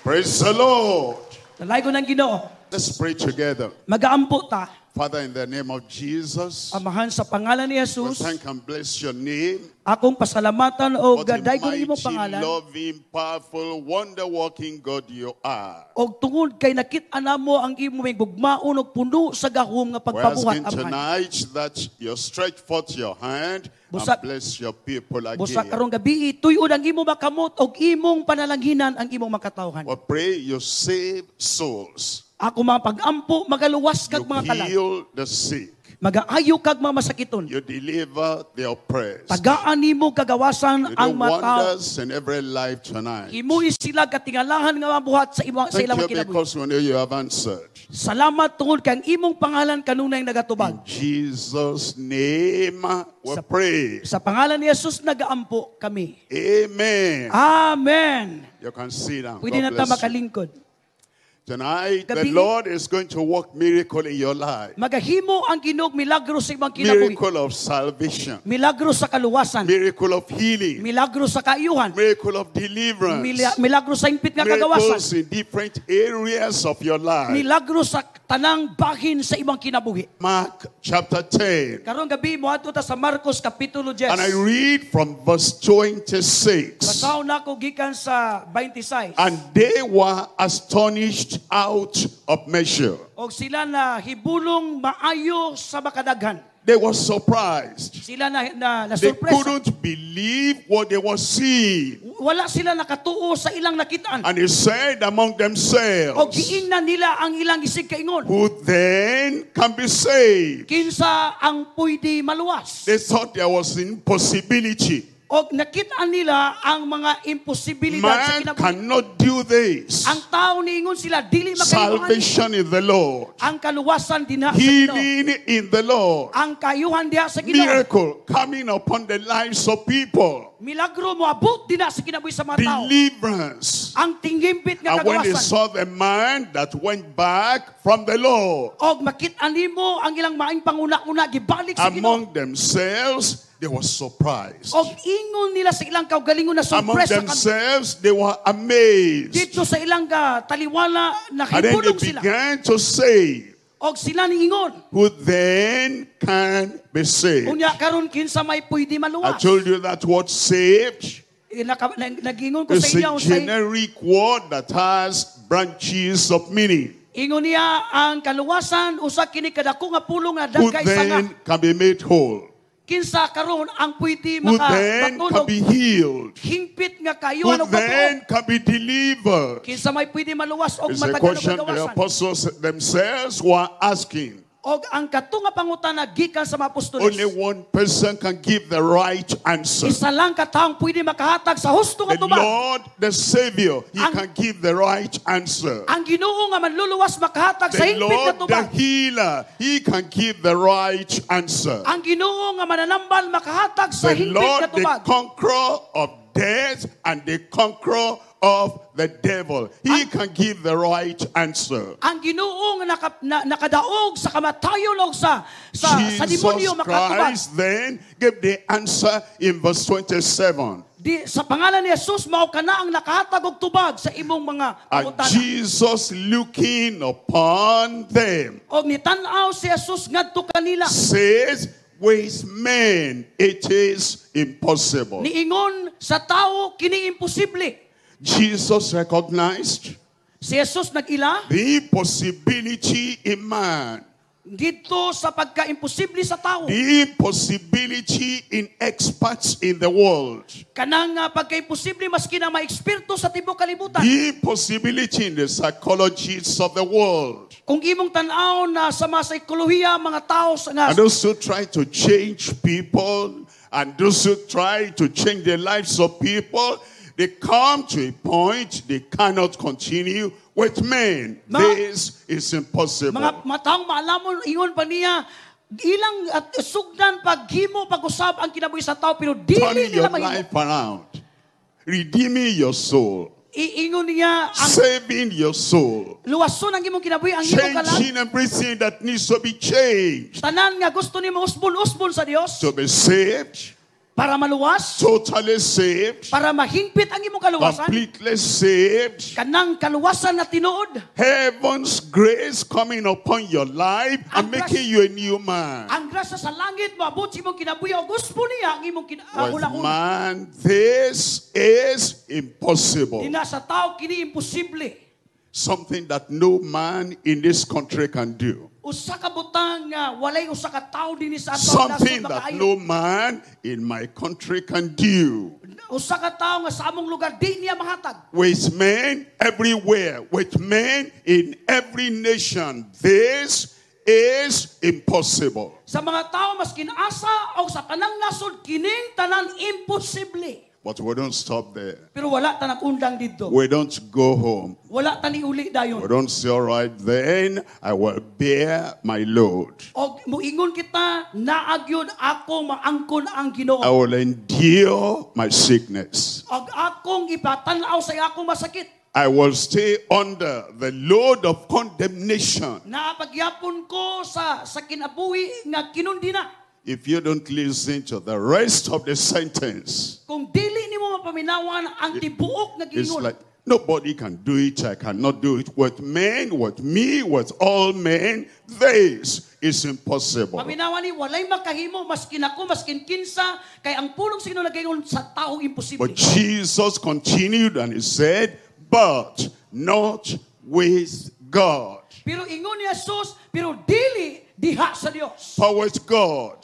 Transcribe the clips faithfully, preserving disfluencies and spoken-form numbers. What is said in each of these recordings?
Praise the Lord. Dalaygon ang Ginoo. Let's pray together. Magaampo ta. Father, in the name of Jesus, Amahan sa pangalan ni we Jesus, thank and bless your name. akong pasalamatan og What a daygon imong mighty, pangalan. loving, powerful, wonder-working God you are. Og tungod kay nakit-an namo ang imong gugmaon og puno sa gahom nga We're pagpabuhat asking amahan. tonight that you stretch forth your hand and Busa- bless your people Busa again. karong gabi tuyod ang imong makamot og imong panalanghinan ang imong makatawhan. We pray you save souls. Ako mga pag-ampo magaluwas kag You mga kalag. heal the sick. Magaayo kag mga masakiton. You deliver the oppressed. Tagaan nimo kagawasan You do ang mga tao. wonders in every life tonight. Himui sila katingalahan nga mabuhat sa imong sa Thank ilang you kinabuhi. because we know you have answered. Salamat tungod kay ang imong pangalan kanunay nagatubag. In Jesus' name we Sa- pray. Sa pangalan ni Jesus nagaampo kami. Amen. Amen. You can sit down. Pwede na God ta bless you. makalingkod. Tonight, the Gabi- Lord is going to work miracle in your life. Magahimo ang Ginoo milagro sa imong kinabuhi. Miracle of salvation. Milagro sa kaluwasan. Miracle of healing. Milagro sa kaayuhan. Miracle of deliverance. Mila- milagro sa impit nga kagawasan. Miracles in different areas of your life. Milagro sa tanang bahin sa imong kinabuhi. Mark chapter ten. Karong gabi moadto ta sa Marcos kapitulo ten. And I read from verse twenty-six. Basahon nako gikan sa twenty-six. And they were astonished out of measure. Og sila na hibulong maayo sa makadaghan. They were surprised. Sila na na, na They sorpresa. couldn't believe what they were seeing. Wala sila nakatuo sa ilang nakitaan. And he said among Og themselves, giingnan nila ang ilang isig kaingon. "Who then can be saved?" Kinsa ang pwede maluwas? They thought there was impossibility. Og nakitaan nila ang mga imposibilidad sa Man kinabuhi. Cannot do this. Ang tao niingon sila dili makahimo ani. Salvation in the Lord. Ang kaluwasan dinha sa Ginoo. Healing in the Lord. Ang kaayuhan diha sa Ginoo. Miracle coming upon the lives of people. Milagro moabot dinha sa kinabuhi sa mga tao. Deliverance. Ang tinghimpit nga And when they kagawasan. Saw the man that went back from the Lord, Og makit-an nimo ang ilang maing panguna-una gibalik sa Ginoo. Among themselves, they were surprised. Og ingon nila sa ilang kaugalingon na Among sorpresa kami. Themselves, they were amazed. Dito sa ilang ka, taliwala And then they nahibulong sila. Began to say, Og sila niingon. "Who then can be saved?" Unya karon kinsa may pwede I maluwas? Told you that word "saved" Eh, naka, nag- Nag-ingon ko is sa inyo a sa generic word that has branches of meaning. Ingon niya ang kaluwasan usa kini kadako nga pulong nga Who dagkay sanga. Then can be made whole? Kinsa karon ang pwede Who then can makabatulog be healed? hingpit nga Who kaayuhan og patuo? Then can be delivered? Kinsa may pwede maluwas og It's a matagal og question the kagawasan? Apostles themselves were asking. Og ang kato nga pangutana gikan sa mga apostoles. Only one person can give the right answer. Isa lang ka taong pwede makahatag sa husto nga The tubag. Lord, the Savior, He Ang- can give the right answer. Ang Ginoo nga manluluwas makahatag sa The hingpit nga Lord, the tubag. Healer, He can give the right answer. Ang Ginoo nga mananambal makahatag sa The hingpit Lord, nga the tubag. Conqueror of death and the conqueror of the devil. He can give the right answer. Ang Ginoo nga naka, na, nakadaog sa kamatayon og sa sa, sa Jesus demonyo makatubag. Christ then gave the answer in verse twenty-seven. Di, sa pangalan ni Jesus mao kana ang nakahatag og tubag sa imong mga And pangutana. Jesus, looking upon them, Og nitan-aw si Jesus ngadto kanila. Says, "With men it is impossible." Niingon sa tao kini imposible. Jesus recognized Si Jesus nag-ila the impossibility in man, dito sa pagka-imposible sa tao. The impossibility in experts in the world, Kanang uh, pagka-imposible maski na mga eksperto sa tibuok kalibutan. The impossibility in the psychologists of the world, Kung imong tan-aw na sa mga psikolohiya mga tao sa nga and those who try to change people, and those who try to change the lives of people, they come to a point they cannot continue with men. Mga- This is impossible. mga matang maalamon ingon pa niya ilang at sugdan paghimo pag-usab ang kinabuhi sa tao pero dili Turning nila your mahimo. Life around, redeeming your soul, Iingon niya ang saving your soul, luwason ang imong kinabuhi ang imong kalag. Changing everything that needs to be changed. Tanan nga gusto nimo usbon-usbon sa Dios. To be saved, Para maluwas, Totally saved? para mahingpit ang imong kaluwasan, Completely saved? kanang kaluwasan na tinuod. Heaven's grace coming upon your life and Ang grace- making you a new man. Ang grasya sa langit moabot sa imong kinabuhi og guspo niya ang imong kina- ah, With huna-huna. man, this is impossible. Dina sa tao kini imposible. Something that no man in this country can do. Usa ka butang nga walay usa ka tawo dinhi sa atong Something nasod that makaayo. no man in my country can do. Usa ka tawo nga sa among lugar di niya mahatag. With men everywhere, with men in every nation, this is impossible. Sa mga tao maskin asa o sa tanang nasod kining tanan imposible. But we don't stop there. Pero wala ta nag-undang didto. We don't go home. Wala ta niuli dayon. We don't say, all right, then I will bear my load. Og muingon kita naa gyud ako maangkon ang Ginoo. I will endure my sickness. Og akong ipatan-aw sa akong masakit. I will stay under the load of condemnation. Naa pagyapon ko sa sa kinabuhi nga kinundina. If you don't listen to the rest of the sentence, Kung dili nimo mapaminawan ang tibuok nga it's giingon. like nobody can do it. I cannot do it. With men, with me, with all men, this is impossible. Paminawan ni walay makahimo maskin ako maskin kinsa kay ang pulong sa Ginoo nagaingon sa taong imposible. But Jesus continued and he said, but not with God. Pero ingon ni Jesus, pero dili diha sa Dios. For with God,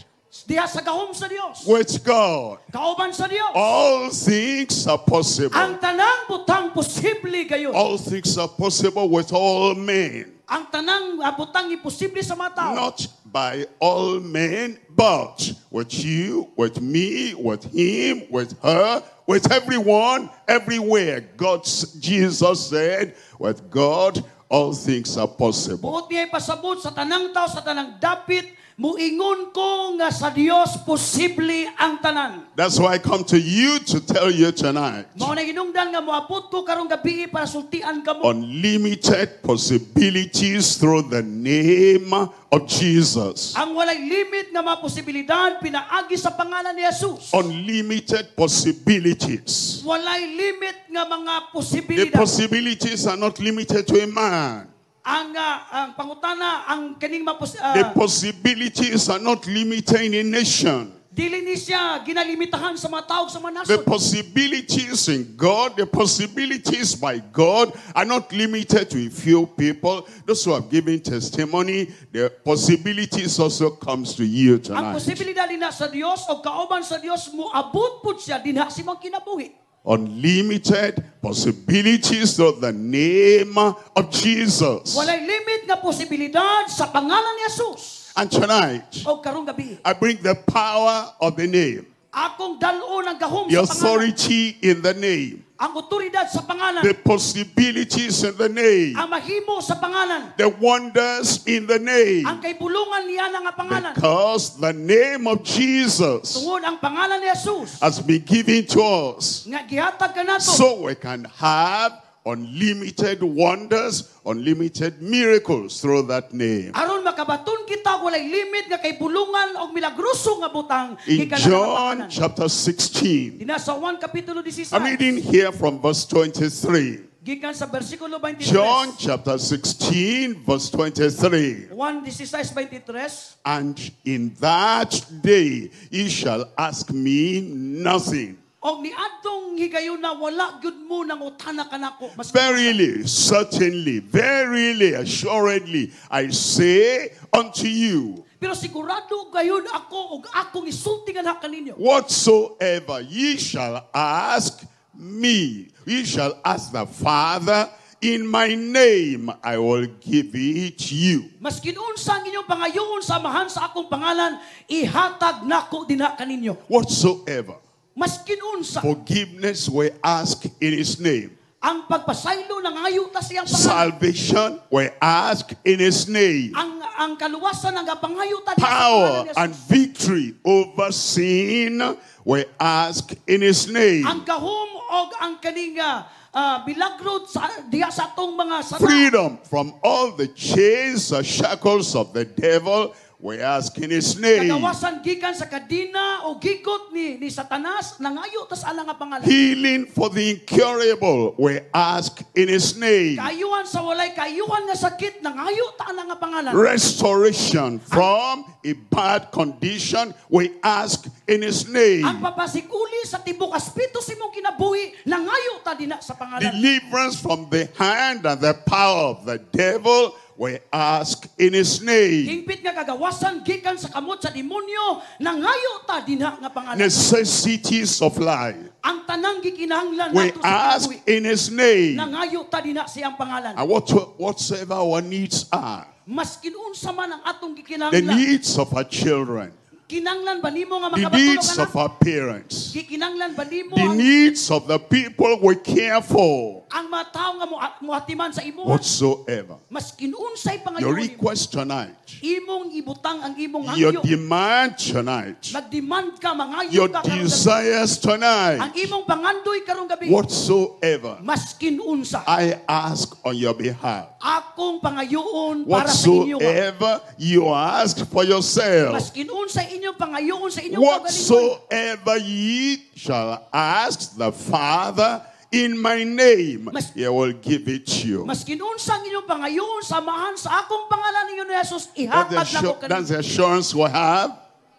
Diha sa gahom sa Dios. with God, Kauban sa Dios. all things are possible. Ang tanang butang posible gayon. All things are possible with all men. Ang tanang ah, butang imposible sa mga tao. Not by all men, but with you, with me, with him, with her, with everyone, everywhere. God's Jesus said, with God, all things are possible. Buot niya ipasabot sa tanang tao, sa tanang dapit, muingon ko nga sa Dios posible ang tanan. That's why I come to you to tell you tonight. Mao na hinungdan nga moabot ko karong gabi para sultian kamo. Unlimited possibilities through the name of Jesus. Ang walay limit nga mga posibilidad pinaagi sa pangalan ni Jesus. Unlimited possibilities. Walay limit nga mga The posibilidad. possibilities are not limited to a man. ang ah, ang pangutana ang kaning mapos ah, The possibilities are not limited in a nation. dili ni siya ginalimitahan sa mga tao sa mga The nasod. possibilities in God, the possibilities by God are not limited to a few people. Those who have given testimony, the possibilities also comes to you Ang tonight. posibilidad dinha sa Dios o kauban sa Dios moabot pud siya dinha sa imong kinabuhi. Unlimited possibilities through the name of Jesus. Walay limit nga posibilidad sa pangalan ni Jesus. And tonight, O karong gabi, I bring the power of the name, akong dal-on ang gahom the sa pangalan, authority in the name, ang otoridad sa pangalan, the possibilities in the name, ang mahimo sa pangalan, the wonders in the name. ang kaibulungan niya nga pangalan. Because the name of Jesus Tungod ang pangalan ni Jesus has been given to us nga gihatag kanato so we can have unlimited wonders, unlimited miracles through that name. aron makabaton kita og walay limit nga kaibulungan og milagroso nga butang In gikan nga John pangalan. chapter sixteen, Dinha sa Juan kapitulo sixteen. I'm reading here from verse twenty-three. Gikan sa bersikulo twenty-three. John chapter sixteen, verse twenty-three. Juan sixteen twenty-three. And in that day ye shall ask me nothing. Og niadtong higayuna wala gyud mo nangutana kanako. Mas Verily, certainly, verily, assuredly, I say unto you, Pero sigurado gayud ako og akong isulti nga kaninyo. whatsoever ye shall ask me, ye shall ask the Father in my name, I will give it you. Maskin unsa ang inyong pangayoon sa amahan sa akong pangalan, ihatag nako dinha kaninyo. Whatsoever. Maskin unsa Forgiveness we ask in his name. ang pagpasaylo nangayo ta siyang pangalan. Salvation we ask in his name. Ang ang kaluwasan ang pangayo ta diha sa pangalan Power ni Jesus. and victory over sin we ask in his name. Ang gahom og ang kaning ah, ah, milagro sa diha sa atong mga sala. Freedom from all the chains and shackles of the devil we ask in his name. Kagawasan gikan sa kadina o gigot ni ni Satanas, nangayo ta sa ana nga pangalan. Healing for the incurable, we ask in his name. Kaayuhan sa walay kaayuhan nga sakit, nangayo ta ana nga pangalan. Restoration from a bad condition, we ask in his name. Ang papasikuli sa tibok aspeto sa imong kinabuhi, nangayo ta dina sa pangalan. Deliverance from the hand and the power of the devil, we ask in his name. Hingpit nga kagawasan gikan sa kamot sa demonyo, nangayo ta dinha nga pangalan. Necessities of life, Ang tanang gikinahanglan we nato sa ask kinabuhi, in his name. nangayo ta dinha siyang pangalan. And what, whatsoever our needs are, Maskin unsa man ang atong the gikinahanglan, needs of our children, kinanglan ba nimo nga the makabatulog needs ka of na? our parents, Gikinanglan ba nimo the ang, needs of the people we care for, ang mga tawo nga mo- muhatiman sa imo? whatsoever. Maskin unsay pangayo Your nimo, request tonight, imong ibutang ang imong your hangyo. demand tonight, Magdemand ka, mangayo your ka karong gabi. desires tonight, Ang imong pangandoy karong gabi. whatsoever Maskin unsa. I ask on your behalf, Akong pangayoon para sa inyo. whatsoever you ask for yourself, Maskin unsa inyong pangayoon sa inyong kaugalingon. whatsoever ye shall ask the Father in my name, Mas- he will give it to you. Maskin unsa ang inyong pangayoon samahan sa akong pangalan ninyo ni Jesus, That's the, ihatag nako assur- kaninyo. that's the assurance we have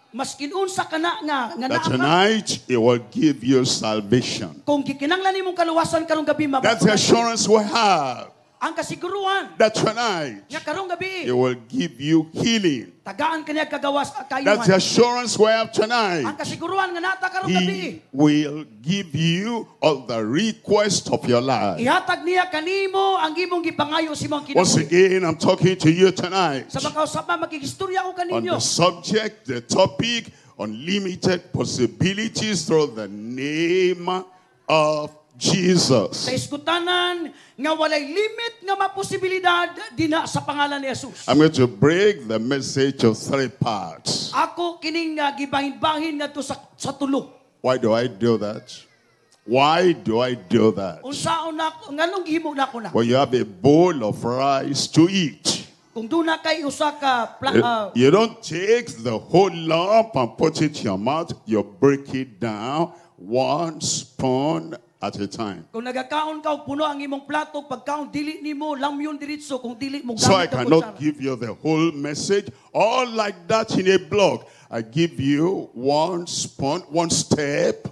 Maskin unsa kana nga nga that naa ka, tonight he will give you salvation. kung gikinanglan nimong kaluwasan karong gabi That's the mabatunan. assurance we have Ang kasiguruhan that tonight nga karong gabi he will give you healing. tagaan kaniya kagawas That's the kayuhan. assurance we have Ang tonight. kasiguruhan nga nata karong gabi He will give you all the requests of your life. ihatag niya kanimo ang imong gipangayo sa imong Once kinabuhi. again, I'm talking to you tonight Sa makausap makikistorya ko on kaninyo the subject, the topic, unlimited possibilities through the name of Jesus. sa iskutanan nga walay limit nga maposibilidad dina sa pangalan ni Jesus. I'm going to break the message of three parts. Ako kining uh, gibahin-bahin ngadto sa sa tulo. Why do I do that? Why do I do that? Unsaon na nganong gihimo nako na? Well, you have a bowl of rice to eat. Kung duna kay usa ka pla, You- ah, You don't take the whole lump and put it in your mouth. You break it down one spoon at a time. kung nagakaon ka og puno ang imong plato pagkaon dili nimo lamyon diretso kung dili mo So I gamit ang cannot kutsara. give you the whole message all like that in a block. I give you one spoon, one step,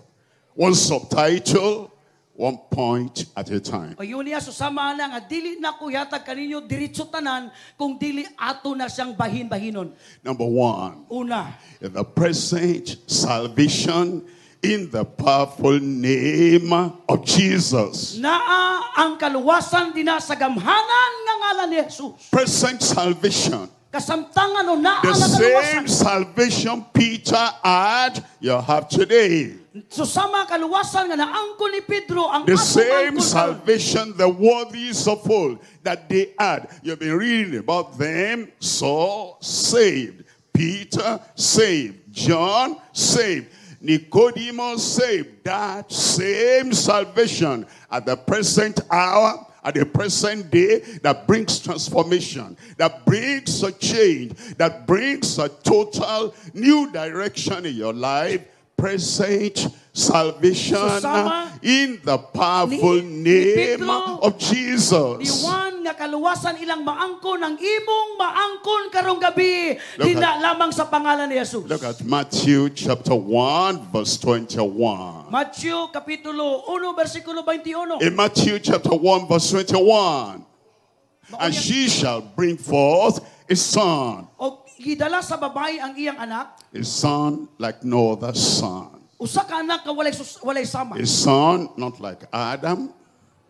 one subtitle, one point at a time. O yun niya susama na nga dili na ko yatag kaninyo diretso tanan kung dili ato na siyang bahin-bahinon. Number one, Una, in the present salvation in the powerful name of Jesus. naa ang kaluwasan dinha sa gamhanan nga ngalan ni Jesus. Present salvation. Kasamtangan o naa The ang kaluwasan. same salvation Peter had, you have today. Susama kaluwasan nga naangkon ni Pedro ang The atong same angkon karon. salvation the worthies of old that they had. You've been reading about them. Saul saved. Peter saved. John saved. Nicodemus saved. That same salvation at the present hour, at the present day, that brings transformation, that brings a change, that brings a total new direction in your life. Present salvation Susama in the powerful ni- ni name Pedro, of Jesus. Ni Juan nga kaluwasan ilang maangkon ang imong maangkon karong gabi Look dina lamang sa pangalan ni Jesus. Look at Matthew chapter one verse twenty-one. Matthew kapitulo one bersikulo twenty-one. In Matthew chapter one verse twenty-one, Mao and niya- she shall bring forth a son, Og gidala sa babae ang iyang anak, a son like no other son, usa ka anak nga walay sus- walay sama. a son not like Adam,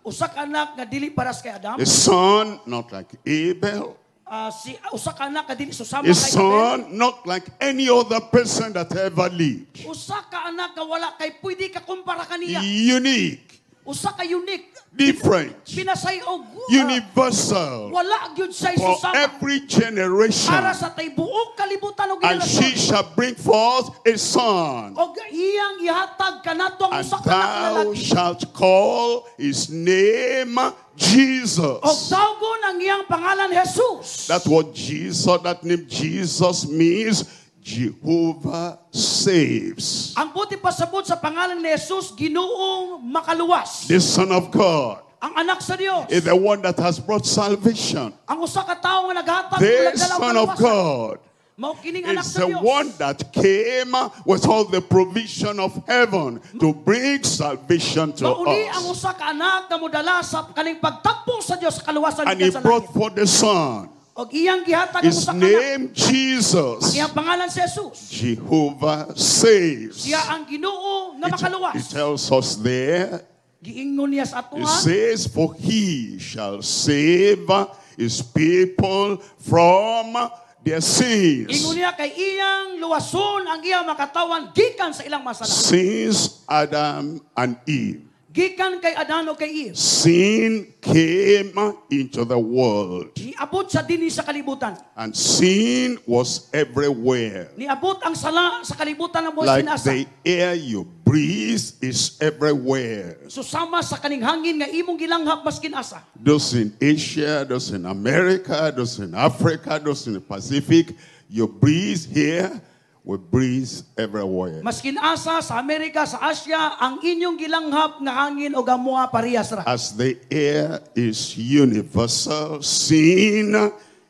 Usa ka anak nga dili paras kay Adam. a son not like Abel, Ah, si usa ka anak nga dili susama a kay Abel. son not like any other person that ever lived. Usa ka anak nga wala kay pwede ka kumpara kaniya. Unique. Usa ka unique. Different. Pinasay og uh, Universal. Wala gyud siya For susama. every generation. Para sa tibuok kalibutan og And she henerasyon. shall bring forth a son. Og iyang ihatag kanato ang And usa ka anak nga thou lalaki. shalt call his name Jesus. Og tawgon ang iyang pangalan Jesus. That's what Jesus, that name Jesus means. Jehovah saves. Ang buti pasabot sa pangalan ni Jesus, Ginoong makaluwas. The Son of God Ang anak sa Dios. is the one that has brought salvation. Ang usa ka tawo nga naghatag The og nagdala og Son of kaluwasan. God Mao kining anak is sa the Dios. one that came with all the provision of heaven to bring salvation to Mauni ang us. usa ka anak nga modala sa kaning pagtakbo sa Dios sa kaluwasan And he gikan sa brought langit. forth the Son. Og iyang gihatag ang His usa ka anak. name Jesus. Iyang pangalan si Jesus. Jehovah saves. Siya ang Ginoo nga It, makaluwas. it tells us there, Giingon niya sa ato it ha. says, for he shall save his people from their sins. Ingon niya kay iyang luwason ang iyang makatawan gikan sa ilang masala. Since Adam and Eve, Gikan kay Adan o kay Eve. sin came into the world. Niabot sa dinhi sa kalibutan. And sin was everywhere. Niabot ang sala sa kalibutan ng buhay Like sinasa. the air you breathe is everywhere. Susama sa kaning hangin nga imong gilanghap maskin asa. Those in Asia, those in America, those in Africa, those in the Pacific, you breathe here, we breathe everywhere. Maskin asa sa Amerika, sa Asia, ang inyong gilanghap nga hangin o gamuha parehas ra. As the air is universal, sin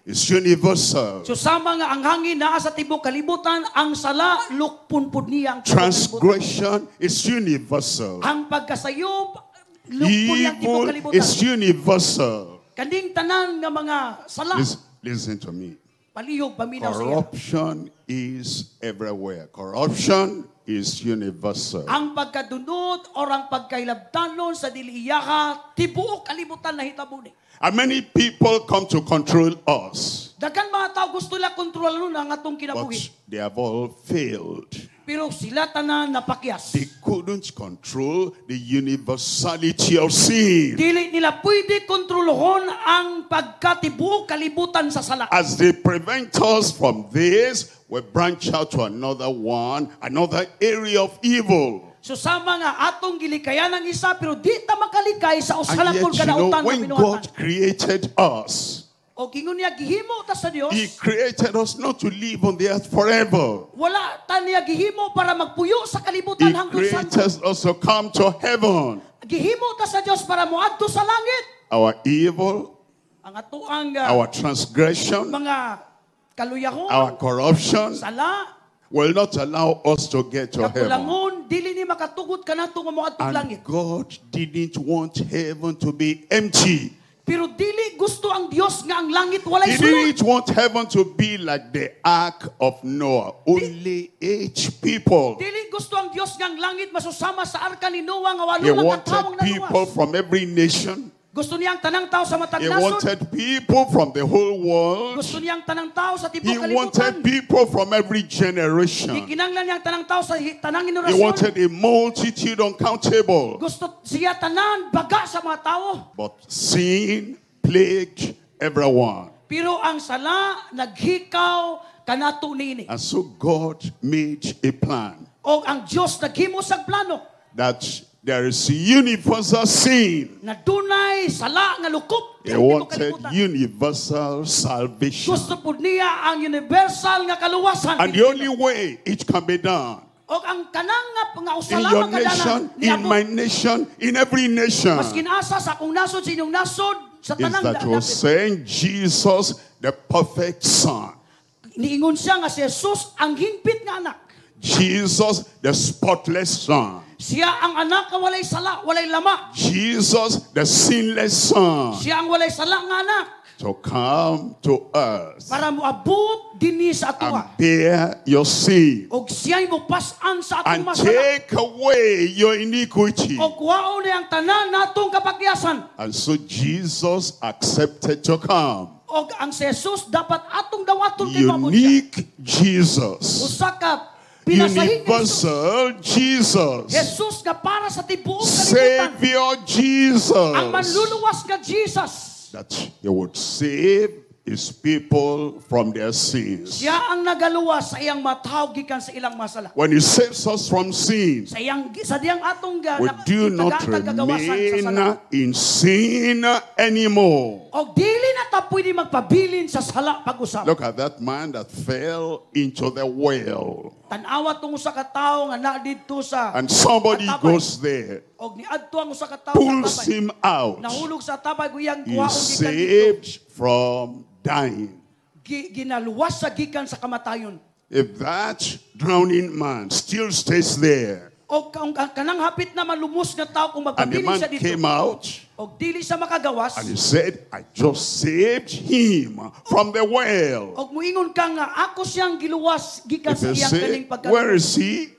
is universal. Susama nga ang hangin naa sa tibok kalibutan, ang sala lukpon pud niya ang tibok kalibutan. Transgression is universal. Ang pagkasayop lukpon niya ang tibok Evil kalibutan. is universal. Kaning tanan nga mga sala, Listen, listen to me. palihog paminaw sa iya. Corruption is everywhere. Corruption is universal. Ang pagkadunot or ang pagkailabtanon sa dili iyaka, tibuok kalibutan na hitabo ni. And many people come to control us, Daghan mga tao gusto nila kontrolon ang atong but kinabuhi. they have all failed. Pero sila tanan napakyas. They couldn't control the universality of sin. Dili nila pwede kontrolohon ang pagkatibuok kalibutan sa sala. As they prevent us from this, we branch out to another one, another area of evil. So sama nga atong gilikayan ang isa pero di ta makalikay sa And usa lang yet, kung you know, kadautan nga when binuhatan. God created us, O kingon niya gihimo ta sa Dios. He created us not to live on the earth forever. Wala ta niya gihimo para magpuyo sa kalibutan He hangtod sa created us to come to heaven. Gihimo ta sa Dios para moadto sa langit. Our evil, Ang atoang uh, our transgression, mga kaluyahon, our corruption sala, will not allow us to get to heaven. kakulangon, dili ni makatugot kanato nga moadto And langit. God didn't want heaven to be empty. Pero dili gusto ang Dios nga ang langit walay He sulod. didn't want heaven to be like the ark of Noah. Only eight people. Dili gusto ang Dios nga ang langit masusama sa arka ni Noah nga walo He lang ka wanted tawong people naluwas. from every nation. Gusto niya ang tanang tao sa matag He nasod. wanted people from the whole world. Gusto niya ang tanang tao sa He tibok kalibutan. wanted people from every generation. Gikinanglan niya ang tanang tao sa hi- tanang He henerasyon. wanted a multitude uncountable. Gusto siya tanan baga sa mga tao. But sin plagued everyone. Pero ang sala naghikaw kanato niini. And so God made a plan O ang Dios naghimo sa plano that there is universal sin. na dunay sala nga lukop He sa tibok wanted kalibutan. universal salvation. Gusto pud niya ang universal nga kaluwasan. And the only way it can be done O ang kanang nga nga usa in your lamang ka nation, dalan in my nation, in every nation, Maskin asa sa akong nasod sa inyong nasod sa is tanang that da- will dapit. send Jesus, the perfect Son. Niingon siya nga si Jesus ang hingpit nga anak. Jesus, the spotless Son. Siya ang anak nga walay sala, walay lama. Jesus, the sinless Son, Siya ang walay sala nga anak to come to us para moabot dinhi sa and atoa. bear your sin Og siya'y mopas-an sa atong and masala. take away your iniquity. Og kuwaon niya ang tanan natong kapakyasan. And so Jesus accepted to come. Og ang si Jesus dapat atong dawaton kay maabot siya. Unique Jesus. Usa ka Pinasahi ni Jesus. Universal Jesus. Jesus nga para sa tibuok kalibutan. Savior Jesus. Ang manluluwas nga Jesus. That he would save his people from their sins. Siya ang nagaluwas sa iyang matawo gikan sa ilang masala. When he saves us from sin, Sa iyang sa diyang atong ga, we do not tagaan kagawasan sa remain sala. in sin anymore. Og dili na ta pwede magpabilin sa sala pag-usab. Look at that man that fell into the well. Tan-awa tong usa ka tawo nga naa didto sa And somebody Atabay. goes there, og niadto ang usa ka tawo sa pulls tabay. him out. Nahulog sa tabay ug iyang He kuhaon is gikan didto. saved from dying. Gi- Ginaluwas sa gikan sa kamatayon. If that drowning man still stays there, O kung ang kanang hapit na malumos nga tao kung and the magpabilin man siya dito, came out og dili siya makagawas, and he said, I just saved him from the well. og muingon ka nga ako siyang giluwas gikan If sa you iyang say, kaning pagka. Where is he?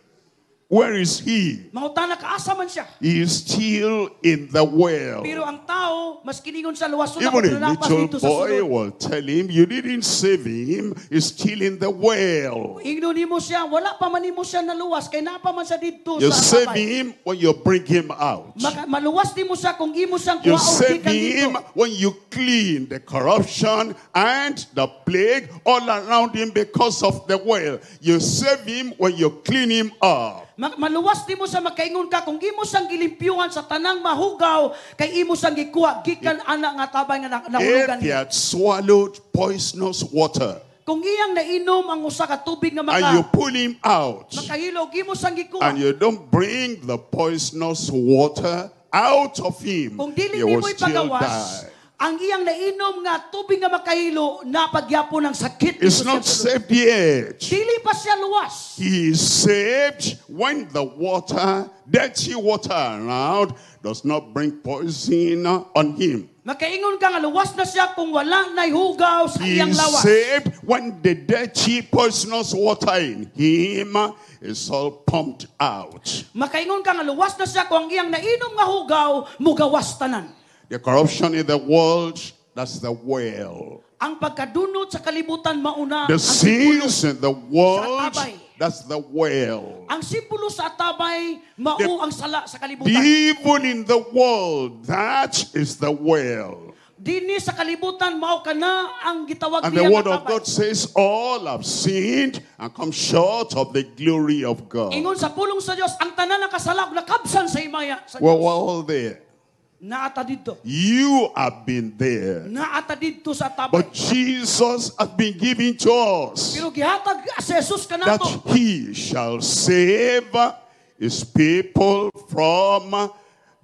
Where is he? Mangutana ka asa man siya. He is still in the well. Pero ang tao mas kiningon sa luwason ako Even a nalapas little dito sa boy sulod. will tell him, You didn't save him, he's still in the well. Ingnon nimo siya, wala pa man nimo siya naluwas kay naa pa man siya didto You sa save tabay. him when you bring him out. Maka, maluwas nimo siya kung imo siyang You kuhaon save gikan dito. him when you clean the corruption and the plague all around him because of the well. You save him when you clean him up. Ma- maluwas nimo sa makaingon ka kung imo siyang gilimpyuhan sa tanang mahugaw kay imo siyang gikuha gikan ana nga tabay nga na- nahulugan If he niya. had swallowed poisonous water Kung iyang nainom ang usa ka tubig nga and you maka pull him out makahilog imo siyang gikuha. and you don't bring the poisonous water out of him, Kung dili he will nimo still ipagawas die. ang iyang nainom nga tubig nga makahilo napagyapon ang sakit It's dito not sa sulod. saved yet. Dili pa siya luwas. He is saved when the water, dirty water around, does not bring poison on him. Makaingon ka nga luwas na siya kung wala na'y hugaw sa He iyang is lawas. saved when the dirty poisonous water in him is all pumped out. Makaingon ka nga luwas na siya kung ang iyang nainom nga hugaw mugawas tanan. The corruption in the world, that's the well. Ang pagkadunot sa kalibutan mauna The ang simbolo. sins in the world, Sa atabay. that's the well. Ang simbolo sa atabay mao The- ang sala sa The kalibutan. evil in the world, that is the well. Dinhi sa kalibutan mao kana ang gitawag And the niya word nga of tabay. God says, all have sinned and come short of the glory of God. Ingon sa pulong sa Dios ang tanan nakasala ug nakabsan sa himaya sa Well, Dios. we're all there. Naa ta didto. You have been there. Naa ta didto sa tabay. But Jesus has been given to us Pero gihatag si Jesus that kanato he shall save his people from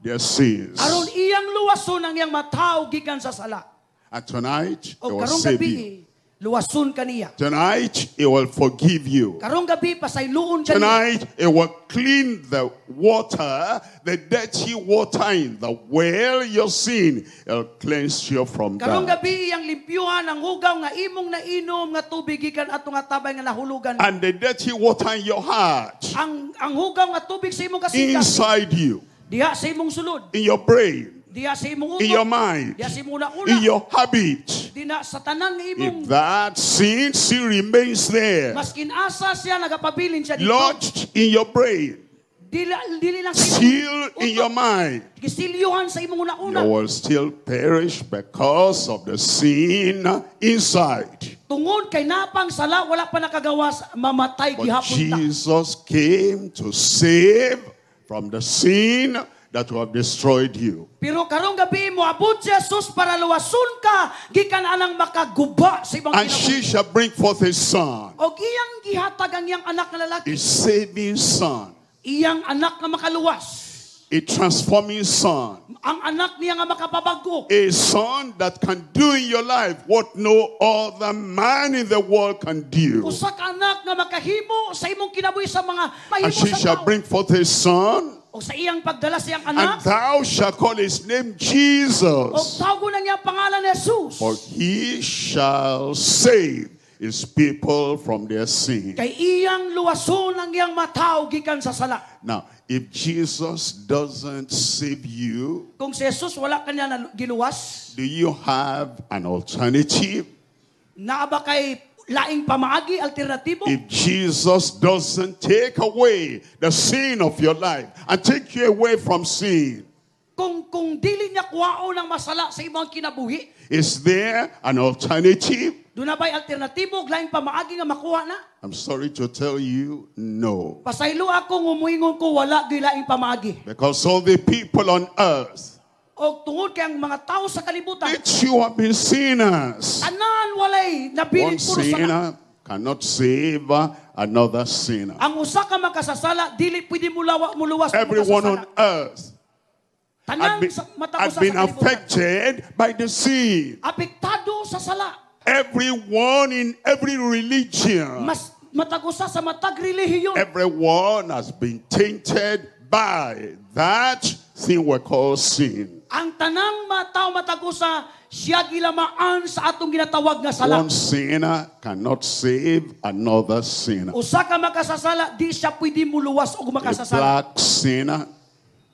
their sins. aron iyang luwason ang iyang matawo gikan sa sala. And tonight, he O will karong save gabi you. luwason kaniya. Tonight, he will forgive you. Karong gabi pasayloon kaniya. Tonight, it will clean the water, the dirty water in the well, your sin. It'll cleanse you from Karong that. gabi iyang limpyuhan ang hugaw nga imong nainom nga tubig gikan ato nga tabay nga nahulugan. And the dirty water in your heart, ang ang hugaw nga tubig sa imong kasing inside you, diha sa imong sulod, in your brain, diha sa imong in your utok, mind, diha sa imong una-una, in your habit. dina sa tanan nga imong If that sin still remains there, maskin asa siya nagapabilin siya dito. lodged in your brain, Dili, dili lang sa imong still in your utok, mind, gisilyuhan sa imong una-una. you will still perish because of the sin inside. Tungod kay napang sala wala pa nakagawas mamatay But gihapon ta. Jesus came to save from the sin that will have destroyed you. Pero karong gabi moabot si Jesus para luwason ka gikan anang makaguba sa imong And kinabuhi. she shall bring forth a son, Og iyang gihatag ang iyang anak nga lalaki, a saving son, iyang anak nga makaluwas, a transforming son, ang anak niya nga makapabago, a son that can do in your life what no other man in the world can do. usa ka anak nga makahimo sa imong kinabuhi sa mga mahimo And she sa shall tao. bring forth a son, O sa iyang pagdala sa iyang and anak, thou shalt call his name og Jesus, tawgon ang iyang pangalan Jesus. for he shall save his people from their sin. Kay iyang luwason ang iyang mataw gikan sa sala. Now, if Jesus doesn't save you, Kung si Jesus wala kanya na giluwas, do you have an alternative? naa ba kay laing pamaagi, alternatibo? If Jesus doesn't take away the sin of your life and take you away from sin, Kung kung dili niya kuwaon ang masala sa imong kinabuhi, is there an alternative? duna ba'y alternatibo, laing pamaagi nga makuha na? I'm sorry to tell you, no. Pasaylo ako nga muingon ko wala gyud laing pamaagi. Because all the people on earth, O tungod kay ang mga tao sa kalibutan, they too have been sinners. tanan walay nabilin One puro sala. sinner cannot save another sinner. Ang usa ka makasasala dili pwede mulawa muluwas sa Everyone on makasasala. earth Tanan had been, sa matag had usa been sa kalibutan. affected by the sin. Apektado sa sala. Everyone in every religion, Mas matag usa sa matag relihiyon. everyone has been tainted by that thing we call sin. Ang tanang mga tao matag usa siya gilamaan sa atong ginatawag nga sala. One sinner cannot save another sinner. Usa ka makasasala di siya pwede muluwas og A makasasala. black sinner,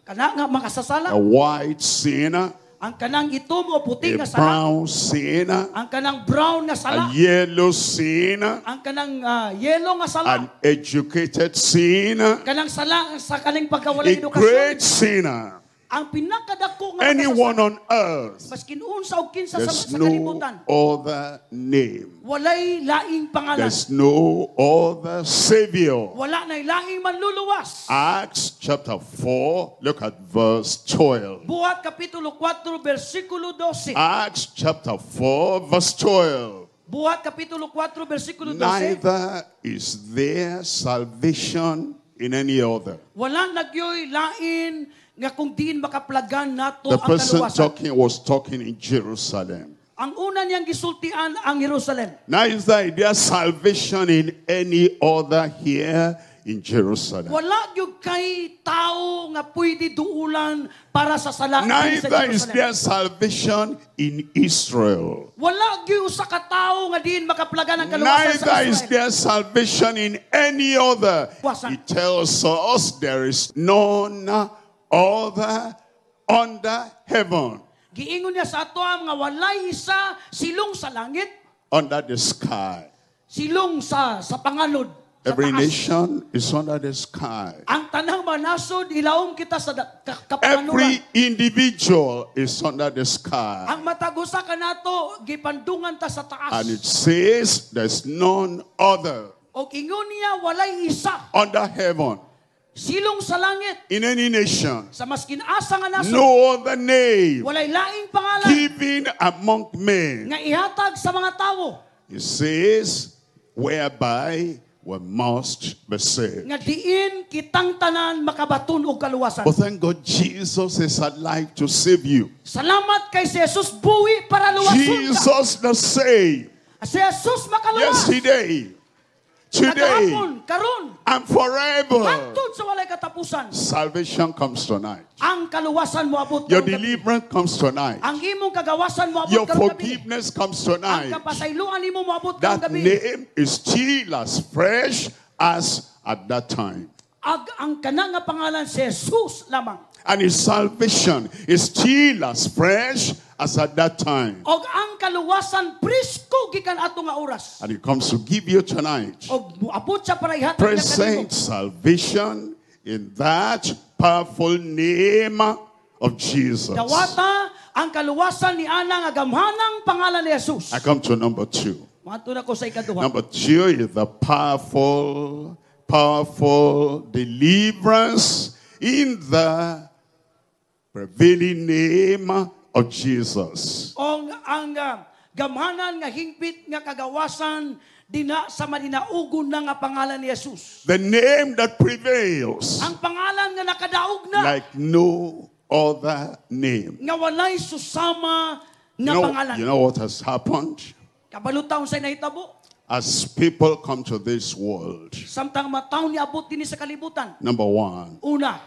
Kana nga makasasala, a white sinner, ang kanang itom o puti a nga sala, brown sinner, ang kanang brown nga sala, a yellow sinner, ang kanang ah, yellow nga sala, an educated sinner, kanang sala sa kaning pagkawalang a edukasyon, great sinner. ang pinakadako nga Anyone makasasala, on earth, maskin unsa o kinsa sa, there's sa no kalibutan, other name. walay laing pangalan, There's no other savior. wala na laing manluluwas. Acts chapter four, look at verse twelve. Buhat Kapitulo four, versikulo twelve. Acts chapter four, verse twelve. Buhat Kapitulo four, versikulo twelve. Neither is there salvation in any other. Wala nagyoy lain nga kung diin makaplagan nato The ang person kaluwasan. talking was talking in Jerusalem. Ang una niyang gisultian ang Jerusalem. Neither is there salvation in any other here in Jerusalem. Wala gyud kay tao nga pwede duulan para sa sala dinhi sa Neither is Jerusalem. there salvation in Israel. Wala gyud usa ka tawo nga diin makaplagan ang kaluwasan sa Neither is Israel. there salvation in any other. Wasan. He tells us there is none other under heaven, Giingon niya sa ato nga walay isa silong sa langit, under the sky. silong sa sa panganod. Sa Every taas. nation is under the sky. Ang tanang manasod ilawom kita sa da- ka- kapanganuran. Every individual is under the sky. Ang matag usa kanato gipandungan ta sa taas. And it says there's none other Og ingon niya walay isa under heaven silong sa langit in any nation. sa maskin asa nga nasod. No other name Walay laing pangalan given among men. nga ihatag sa mga tawo It says whereby we must be saved. nga diin kitang tanan makabaton og kaluwasan. But thank God Jesus is alive to save you. Salamat kay si Jesus buhi para luwason ka. Jesus the same. Si Jesus makaluwas. Yesterday, today, Kagahapon, karon, and forever. hangtod sa walay katapusan. Salvation comes tonight. Ang kaluwasan moabot Your karong gabi. deliverance comes tonight. Ang imong kagawasan moabot Your karong gabi. forgiveness comes Ang tonight. kapasayloan nimo moabot karong That gabi. name is still as fresh as at that time. Ag ang kana nga pangalan si Jesus lamang. And his salvation is still as fresh as at that time. Og ang kaluwasan presko gikan ato nga oras. And he comes to give you tonight Og moabot siya para ihatag niya kanimo. present salvation in that powerful name of Jesus. Dawata ang kaluwasan ni ana nga gamhanang pangalan ni Jesus. I come to number two. Moadto na ko sa ikaduha. Number two is the powerful, powerful deliverance in the prevailing name of Jesus. Ong ang ah, gamhanan nga hingpit nga kagawasan dina sa malinaugon na nga pangalan ni Jesus. The name that prevails Ang pangalan nga nakadaog na like no other name. nga walay susama You nga know, pangalan. you know what has happened? Kabalo ta unsay nahitabo As people come to this world, samtang mataw niabot dinhi sa kalibutan. number one, Una,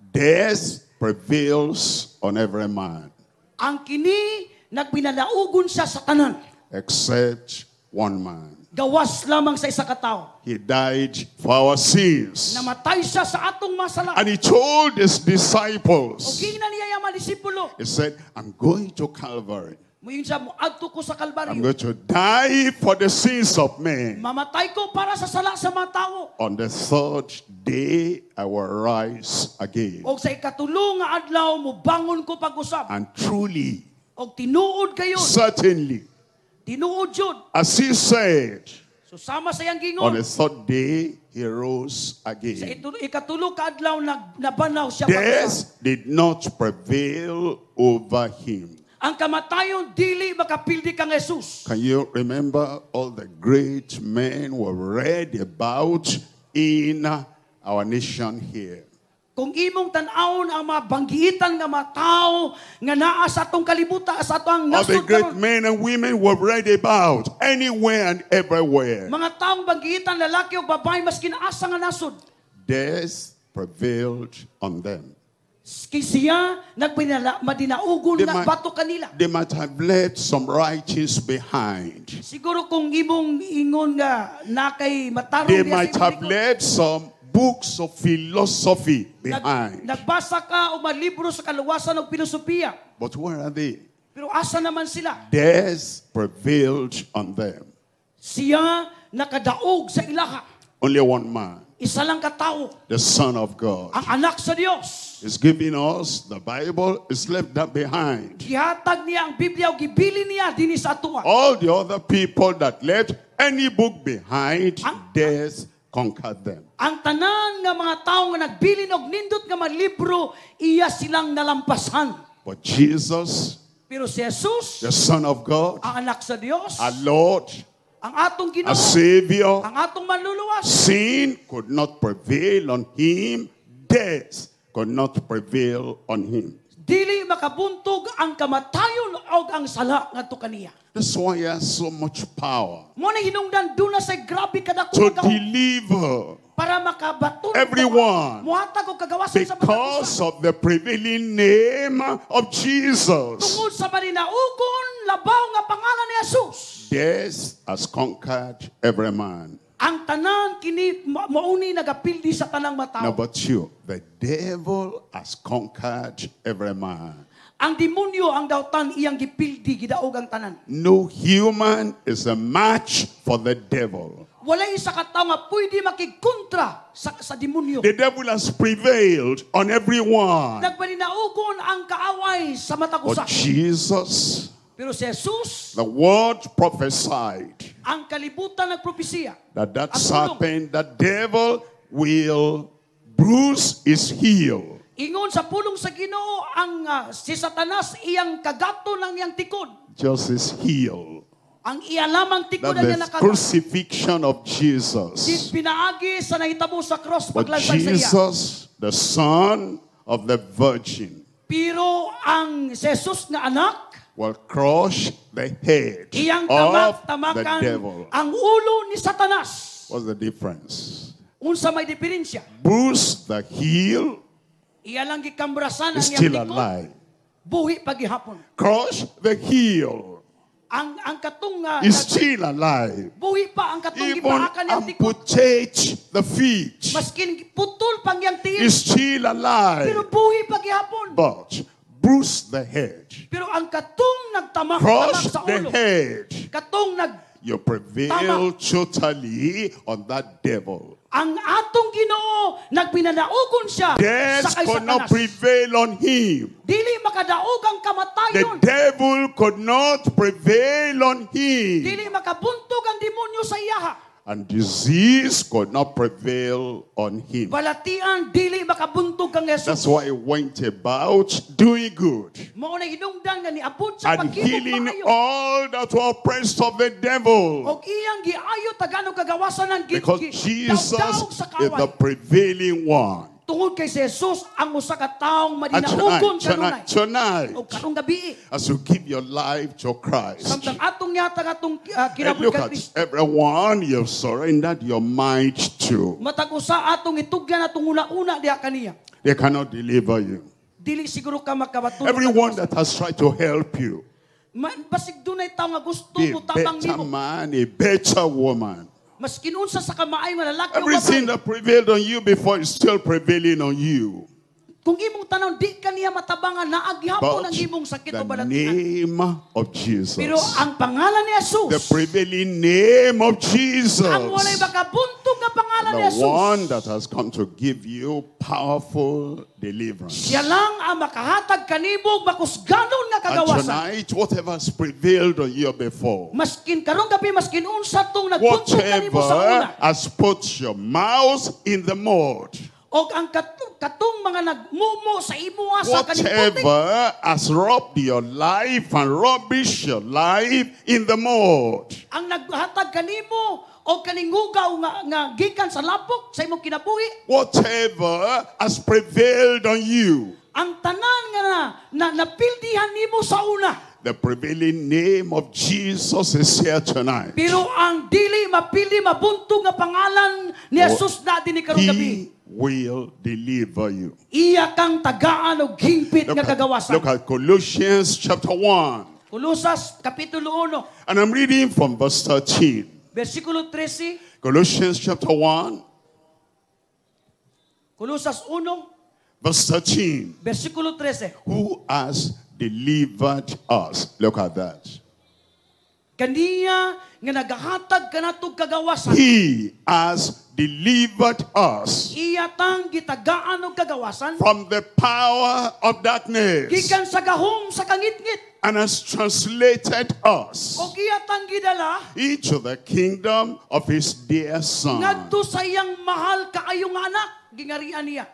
death prevails on every man ang kini nagpinalaugon siya sa tanan. except one man. Gawas lamang sa isa ka tawo. He died for our sins. Namatay siya sa atong masala. And he told his O disciples, giingnan niya ang mga disipulo. he said, I'm going to Calvary. Muingon siya, moadto ko sa I'm Kalbaryo. going to die for the sins of men. Mamatay ko para sa sala sa mga tao. On the third day, I will rise again. Og sa ikatulo nga adlaw, mobangon ko pag-usab. And truly, Og tinuod kayo. certainly, Tinuod yun. as he said, So sama sa iyang on gingon. the third day, he rose Sa again. itulo, ikatulo ka adlaw, nag, nabanaw siya pag-usab. Death did not prevail over him. Ang kamatayon dili makapildi kang Jesus. Can you remember all the great men we read about in our nation here? Kung imong tan-awon ang mga banggiitan nga mga tao nga naa sa atong kalibutan, sa atong All the nasod great karon. men and women we read about anywhere and everywhere. Mga taong banggiitan lalaki o babae maskin asa nga nasod. Death prevailed on them. Kay siya nagpinala madinaugon They nga might- bato kanila. They might have left some writings behind. Siguro kung imong ingon nga na kay matarong They diya sa might imong have likod. left some books of philosophy Nag, behind. nagbasa ka og mga libro sa kaluwasan og filosofiya. But where are they? Pero asa naman sila? Death prevailed on them. Siya nakadaog sa ilaha. Only one man, Isa lang ka tawo, the Son of God, ang anak sa Dios. is giving us the Bible, is left that behind. Gihatag niya ang Biblia o gibili niya dinhi sa atoa. All the other people that left any book behind, Ang- death conquered them. Ang tanan nga mga tawo nga nagbilin og nindot nga mga libro, iya silang nalampasan. But Jesus, Pero si Jesus, the Son of God, ang anak sa Dios, our Lord, ang atong Ginoo, our Savior, ang atong manluluwas, sin could not prevail on him, death could not prevail on him. dili makabuntog ang kamatayon og ang sala ngadto kaniya. That's why he has so much power Mo na hinungdan duna sa grabe kadako to nga gahom deliver para makabaton Everyone. muhatag og kagawasan sa mga because of the prevailing name of Jesus. tungod sa maninaugon labaw nga pangalan ni Jesus. Death has conquered every man. Ang tanan kini ma- mauni nagapildi sa tanang matawo. Number two, the devil has conquered every man. Ang demonyo ang dautan iyang gipildi gidaog ang tanan. No human is a match for the devil. Wala isa ka tawo nga pwede makigkontra sa sa demonyo. The devil has prevailed on everyone. Nagpaninaugon ang kaaway sa matag But usa. Jesus, Pero si Jesus, the word prophesied ang kalibutan nagpropesiya. that that Ang pulong. serpent, that devil, will bruise his heel. Ingon sa pulong sa Ginoo ang ah, si Satanas iyang kagato ng iyang tikod. Just his heel. Ang iya lamang tikod That ang iyang the nakagat. crucifixion of Jesus. Pinaagi sa nahitabo sa cross But paglansang sa iya. Jesus, the Son of the Virgin, Pero ang si Jesus nga anak, will crush the head iyang of tamak the tamakan devil. ang ulo ni Satanas. What's the difference? Unsa may diferensya? Bruise the heel Iya lang gikambrasan ang is iyang still tikod. alive. Buhi pagihapon. Crush the heel Ang ang katong nga is still alive. buhi pa ang katong Even gipaakan niyang tikod. amputate the feet Maskin putol pang iyang tiil, is still alive. pero buhi pagihapon. But bruise the head, Pero ang katong nagtamak crush tamak sa the ulo, head, katong nag you prevail totally on that devil. ang atong Ginoo nagpinanaugon siya Death sa kay could not Satanas. prevail on him. Dili makadaog ang The kamatayon. devil could not prevail on him. Dili makabuntog ang demonyo sa iyaha. And disease could not prevail on him. Balatian dili makabuntog kang Jesus. That's why he went about doing good Mao na hinungdan nga niabot sa and paghimog healing maayo. all that were oppressed of the devil. Og iyang giayo tagano kagawasan ng gi- Because gi- Jesus daog sa is the kaaway. prevailing one. Tungod kay si Jesus ang usa ka taong And madinaugon tonight, kanunay. tonight, tonight, Og karong gabi, as you give your life to Christ, samtang atong yata atong uh, and kinabot look kay at Kristo. everyone you've surrendered your mind to. Matag usa atong itugyan atong una-una diha kaniya. They cannot deliver you. Dili siguro ka makabatulog. Everyone that has tried to help you, Ma, basig dunay tawo nga gusto be mo a tabang better nimo. man, a better woman. Maskin unsa sa kamaay nga lalaki o Everything babae. that prevailed on you before is still prevailing on you. Kung imong tan-awon di ka niya matabangan naa gihapon But ang imong sakit o the balatian. name of Jesus, Pero ang pangalan ni Jesus, the prevailing name of Jesus, ang walay makabuntog nga pangalan ni the Jesus, one that has come to give you powerful deliverance. siya lang ang makahatag kanimo makusganon nga And kagawasan. tonight, whatever has prevailed on you before, Maskin karong gabi maskin unsa tong nagbuntog kanimo sa una. whatever has put your mouth in the mud, Og ang katong, katong mga nagmumo sa imuha sa kaning putik. whatever has robbed your life and rubbish your life in the mud, Ang naghatag kanimo og kaning hugaw nga, nga gikan sa lapok sa imong kinabuhi. whatever has prevailed on you, Ang tanan nga na, na napildihan nimo sa una. the prevailing name of Jesus is here tonight. Pero ang dili mapili mabuntog nga pangalan ni Jesus na dinhi karong gabi. He will deliver you. Iya kang tagaan og hingpit Look nga at, kagawasan. look at Colossians chapter one. Kolosas kapitulo one, And I'm reading from verse thirteen. versikulo thirteen. Colossians chapter one, Kolosas one, verse thirteen. versikulo thirteen. Who has delivered us? Look at that. Kaniya nga nagahatag kanatong kagawasan. He has delivered us Iya tang gitagaan og kagawasan from the power of darkness gikan sa gahom sa kangitngit and has translated us og iya tang gidala into the kingdom of his dear Son. ngadto sa iyang mahal kaayo nga anak gingarian niya.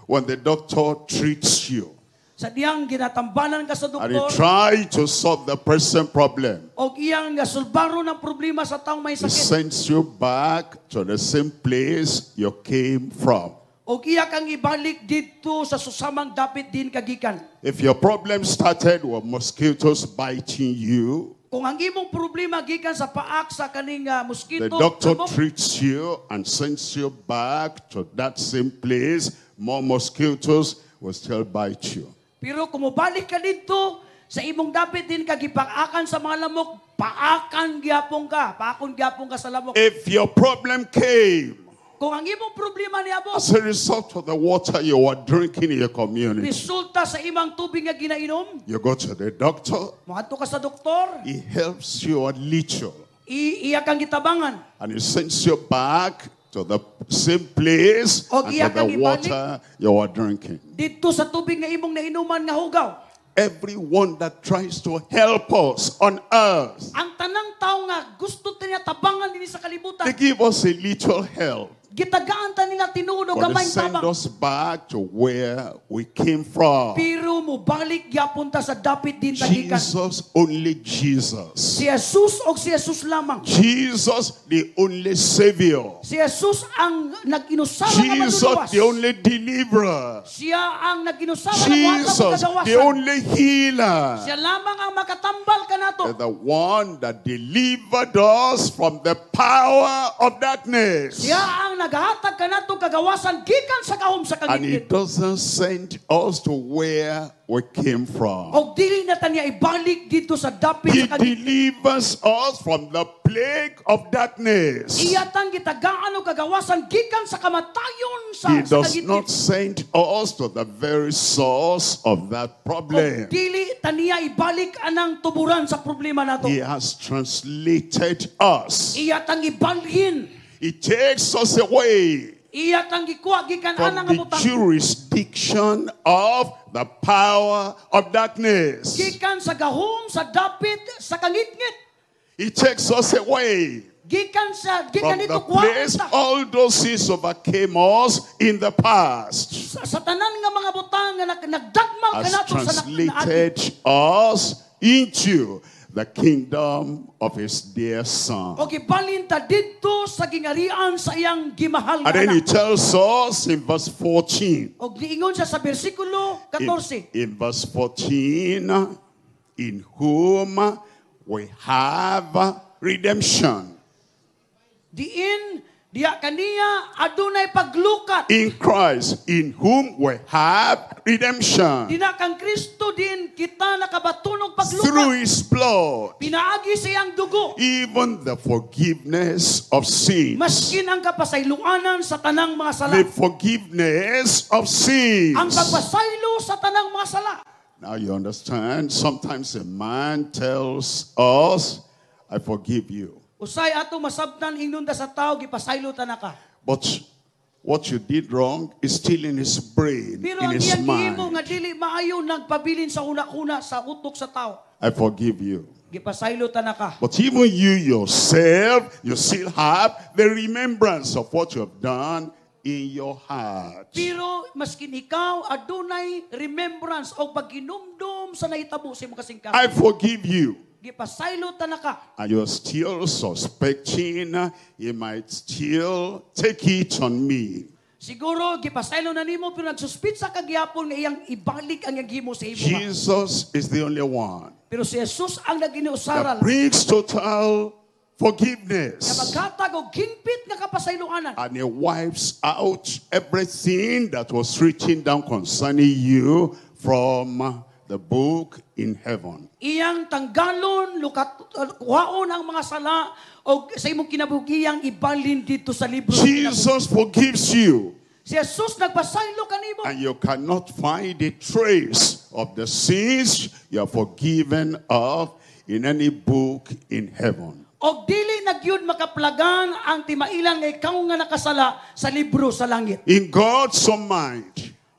When the doctor treats you Sa diyang ginatambalan ka sa and he doktor tries to solve the present problem, og iyang gasulbaro ng problema sa taong may he sakit sends you back to the same place you came from. og iya kang ibalik didto sa susamang dapit din kagikan. If your problem started with mosquitoes biting you, Kung ang imong problema gikan sa paak sa kaning uh, the mosquito, doctor lamok, treats you and sends you back to that same place, more mosquitoes will still bite you. Pero kung mobalik ka didto sa imong dapit din ka gipaakan sa mga lamok, paakan gyapon ka, paakon gyapon ka sa lamok. If your problem came Kung ang imong problema niabot as a result of the water you were drinking in your community, resulta sa imong tubig nga ginainom, you go to the doctor, moadto ka sa doktor, he helps you a little, i iya kang gitabangan. and he sends you back to the same place Og and iya to the kang ibalik. water you were drinking. Didto sa tubig nga imong nainuman nga hugaw. Everyone that tries to help us on earth, Ang tanang tao nga gusto ta niya tabangan dinhi sa kalibutan, they give us a little help, gitagaan ta nila tinuod og but they gamay send tabang. us back to where we came from. Pero mobalik gyapon ta sa dapit din tagikan. Jesus, only Jesus. Si Jesus og si Jesus lamang. Jesus, the only Savior. Si Jesus ang nag-inusara nga Jesus, manluluwas. the only deliverer. Siya ang nag-inusara nga mohatag og Jesus, the kagawasan. only healer. Siya lamang ang makatambal kanato. The one that delivered us from the power of darkness. Siya ang naghatag kanato kagawasan gikan sa gahom sa And he kangitngit. doesn't send us to where we came from. Og dili na ta niya ibalik didto sa dapit He sa kangitngit. delivers us from the plague of darkness. Iya tang gitagaan og kagawasan gikan sa kamatayon sa, He sa does not kangitngit. send us to the very source of that problem. Og dili ta niya ibalik anang tuburan sa problema nato. He has translated us. Iya tang ibalhin. He takes us away Iya tang gikuha gikan from ana nga the butang. jurisdiction of the power of darkness. Gikan sa gahom sa dapit sa kangitngit. He takes us away Gikan sa gikan from dito the kuha place ta. all those sins overcame us in the past. Sa, sa tanan nga mga butang nga nag, nagdagmal Has kanato sa nak- naagi. translated us into the kingdom of his dear Son. Og ibalin ta didto sa gingarian sa iyang gimahal nga And then he anak. tells us in verse fourteen. Og niingon siya sa bersikulo In, fourteen. in verse fourteen, in whom we have redemption. Diin Diya kaniya adunay paglukat. In Christ, in whom we have redemption. Dina kang Kristo din kita nakabaton og Through paglukat. his blood, Pinaagi sa iyang dugo. even the forgiveness of sins. Maskin ang kapasayloanan sa tanang mga sala. The forgiveness of sins. Ang pagpasaylo sa tanang mga sala. Now you understand, sometimes a man tells us, I forgive you. Usay ato masabtan ingnon ta sa tao gipasaylo ta na ka. But what you did wrong is still in his brain, Pero in ang his iyang gihimo mind. nga dili maayo nagpabilin sa huna-huna sa utok sa tao. I forgive you. Gipasaylo ta na ka. But even you yourself, you still have the remembrance of what you have done in your heart. Pero maskin ikaw adunay remembrance o pagginumdum sa nahitabo sa imong kasingkasing. I forgive you. Gipasaylo ta na ka. And you're still suspecting he might still take it on me. Siguro gipasaylo na nimo pero nagsuspitsa ka gihapon nga iyang ibalik ang iyang gihimo sa imo. Jesus is the only one Pero si Jesus ang that naginiusaral brings total nga forgiveness. maghatag og hingpit nga kapasayloanan. And he wipes out everything that was written down concerning you from the book in heaven. Iyang tanggalon, lukat, kuhaon ang mga sala o sa imong kinabuhi iyang ibalin dito sa libro. sa kinabuhi. Jesus forgives you. Si Jesus nagpasaylo kanimo. And you cannot find a trace of the sins you are forgiven of in any book in heaven. Og dili na gyud makaplagan ang timailan nga ikaw nga nakasala sa libro sa langit. In God's own mind,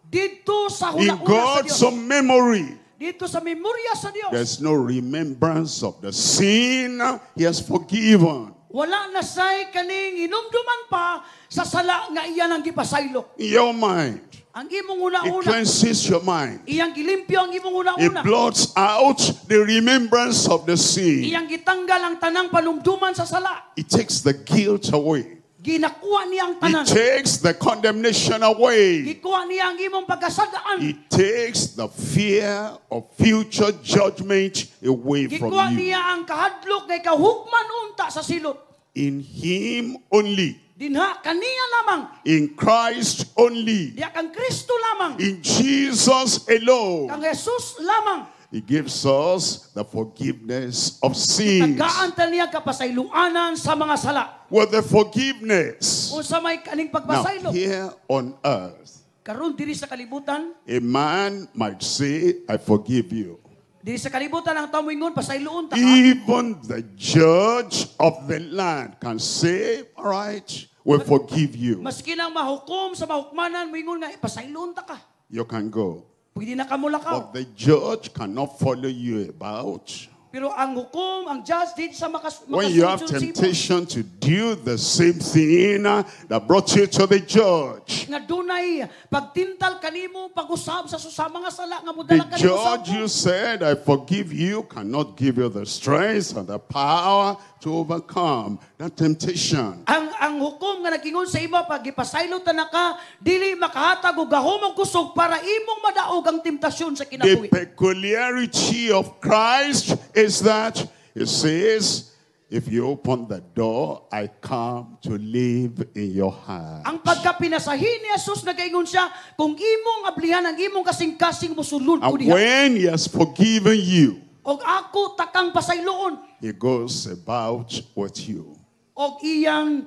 Dito sa in huna-huna sa God's Dios. own memory, Dito sa memorya sa Dios. there's no remembrance of the sin he has forgiven. Wala na say kaning hinumduman pa sa sala nga iya nang gipasaylo. In your mind, Ang imong it una-una, cleanses your mind. iyang gilimpyo ang imong It una-una. blots out the remembrance of the sin. Iyang gitanggal ang tanang panumduman sa sala. It takes the guilt away. Ginakuha niya ang tanan. It takes the condemnation away. Gikuha niya ang imong pagkasadaan. It takes the fear of future judgment away from Gikuha you. niya ang kahadlok nga ikaw hukman unta sa silot. In Him only. Dinha kaniya lamang. In Christ only. Diya kang Kristo lamang. In Jesus alone. Kang Jesus lamang. He gives us the forgiveness of sins. Tagaan ta niya kapasayloanan sa mga sala. With the forgiveness. Unsa may kaning Now, pagpasaylo. here on earth, Karon diri sa kalibutan, a man might say, I forgive you. diri sa kalibutan ang tao moingon pasayloon ta ka. Even the judge of the land can say, all right, we'll forgive you. Maski nang mahukom sa mahukmanan moingon nga pasayloon ta ka. You can go. Pwede na ka mulakaw. But the judge cannot follow you about. Pero ang hukom, ang judge di sa makas When you have makasunod sa imo. temptation to do the same thing that brought you to the judge, nga dunay pagtintal kanimo pag-usab sa susama nga sala nga modala the kanimo sa judge hukom. you said, I forgive you, cannot give you the strength and the power to overcome that temptation. Ang ang hukom nga nagingon sa imo pag gipasaylo ta na ka dili makahatag og gahom og kusog para imong madaog ang temptasyon sa The kinabuhi. peculiarity of Christ is that he says, if you open the door, I come to live in your heart. Ang pagkapinasahin ni Jesus nagaingon siya kung imong ablihan ang imong kasing-kasing mosulod ko And diha. when he has forgiven you, Og ako takang pasayloon he goes about with you. og iyang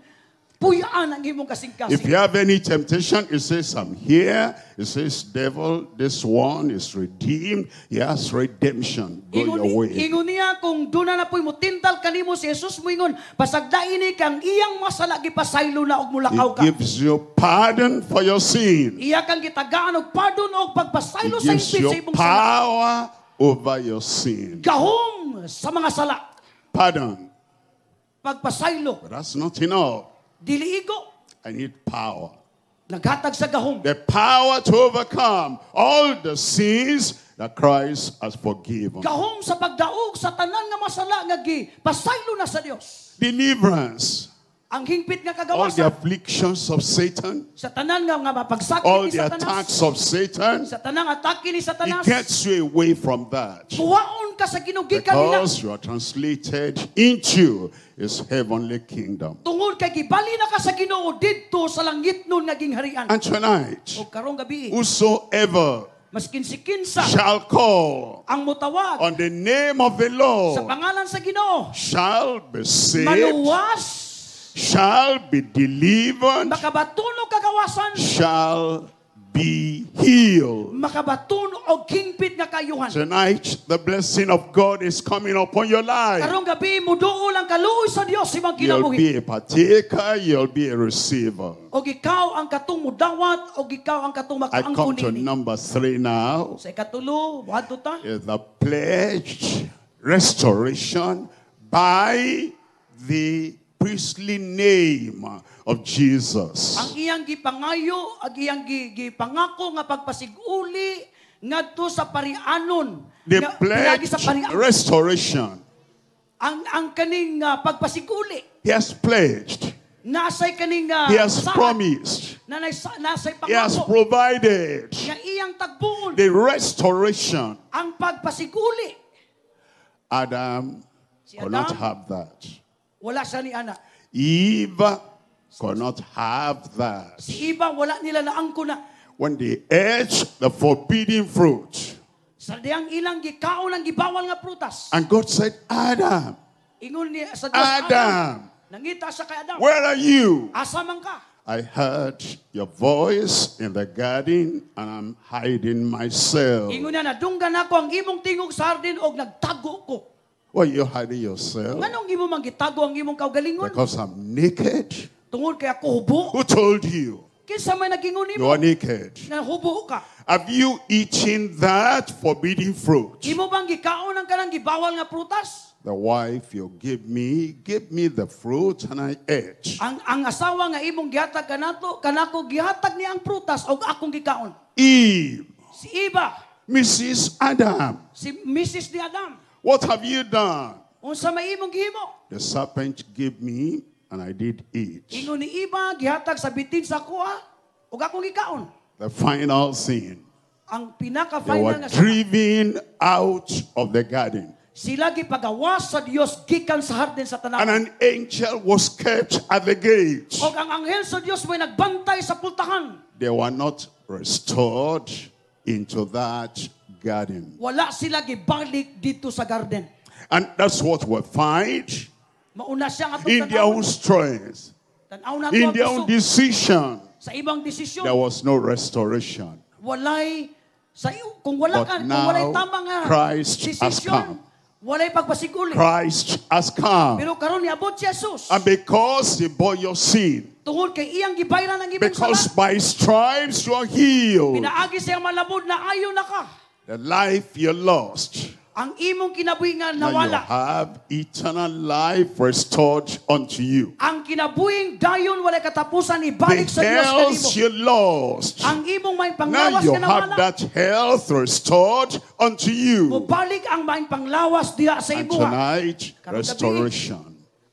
puyaan ang imong kasing-kasing. If you have any temptation, he says, I'm here. He says, devil, this one is redeemed. He has redemption. Go Ingon, your way. ingon niya kung doon na po'y motintal kanimo si Jesus moingon pasagdain ni kang iyang masala gipasaylo na og mulakaw He ka. gives you pardon for your sin. Iya kang gitagaan og pardon og He pagpasaylo sa gives impit sa you imong sala. power over your sin. Gahom sa mga sala. Pardon. Pagpasaylo, But that's not enough. dili igo I need power. naghatag sa gahom. The power to overcome all the sins that Christ has forgiven. Gahom sa pagdaog sa tanan nga masala nga gipasaylo na sa Dios. Deliverance. Ang hingpit nga All the kagawasan. Afflictions of Satan, Sa tanan nga nga mapagsakit all ni the Satanas. Attacks of Satan, Sa tanang atake ni he Satanas. gets you away from that. Kuwaon ka sa Ginoo gikan nila. Because you are translated into his heavenly kingdom. Tungod kay gibali na ka sa Ginoo didto sa langitnon nga gingharian. And tonight, O karong gabi, whosoever maskin si kinsa shall call ang mutawag on the name of the sa Lord pangalan sa Ginoo, shall be saved, maluwas, shall be delivered, makabaton og kagawasan, shall be healed. Makabaton og hingpit nga kaayuhan. Tonight, the blessing of God is coming upon your life. Karong gabi muduol ang kaluoy sa Dios sa imong You'll kinabuhi. be a partaker, you'll be a receiver. Og ikaw ang katong mudawat og ikaw ang katong I come makaangkon to niini. number three now. Sa ikatulo, moadto ta. Is the pledged restoration by the priestly name of Jesus. Ang iyang gipangayo, ang iyang gi- gipangako nga pagpasiguli ngadto sa parianon. The Nga pinagi sa pledged parian. Restoration. Ang ang kaning uh, pagpasiguli He has pledged. Nasay kaning uh, He has saad, promised. na nay- nasay He has pangako provided nga iyang tagbuon the restoration. Ang pagpasiguli. Adam Si could not Adam? Have that. Wala siya ni ana. Eve could not have that. Si Eva, wala nila naangko na. When they ate the forbidden fruit, Sa diyang ilang gikaon ang gibawal nga prutas. And God said, "Adam, Ingon niya sa Dios, Adam, nangita siya kay Adam. Where are you?" Asa man ka? "I heard your voice in the garden and I'm hiding myself." Ingon niya, nadunggan ako ang imong tingog sa hardin og nagtago ko. "Why are you hiding yourself?" Nganong imo man gitago ang imong kaugalingon? "Because I'm naked." Tungod kay ako hubo. "Who told you Kinsa may nagingon you nimo are naked? nga hubo ka? Have you eaten that forbidden fruit?" Imo bang gikaon ang kanang gibawal nga prutas? "The wife you give me, give me the fruit and I ate." Ang ang asawa nga imong gihatag kanato, kanako gihatag niya ang prutas og akong gikaon. "Eve, Si Eva, Missus Adam, si Missus ni Adam, what have you done?" Unsa may imong gihimo? "The serpent gave me and I did eat." Ingon ni Eva, gihatag sa bitin sa akoa ug akong gikaon. The final sin. Ang They pinaka-final were nga sala. Driven out of the garden. Sila gipagawas sa Dios gikan sa hardin sa And tanawan. an angel was kept at the gate. Og ang anghel sa Dios may nagbantay sa pultahan. They were not restored into that garden. Wala sila gibalik dito sa garden. And that's what we find Mauna siya ang atong in their tan-awon. own strength, Tan-aw nato in ang their own kusog. decision. Sa ibang desisyon. There was no restoration. Walay sa kung wala But ka, kung now, walay tama nga Christ has desisyon, come. Walay pagpasiguli. Christ has come. Pero karon niabot si Jesus. And because he bore your sin, Tungod kay iyang gibayran ang imong because sala. by stripes you are healed, Pinaagi sa iyang malabod na ayo na ka. The life you lost, Ang imong kinabuhi nga now you nawala. Have eternal life restored unto you. Ang kinabuhing dayon walay katapusan The ibalik sa Dios health kanimo. you lost, Ang imong may now panglawas you nga have nawala. That health restored unto you. Mubalik ang may panglawas diha sa And imuha. tonight, Karong gabi, restoration.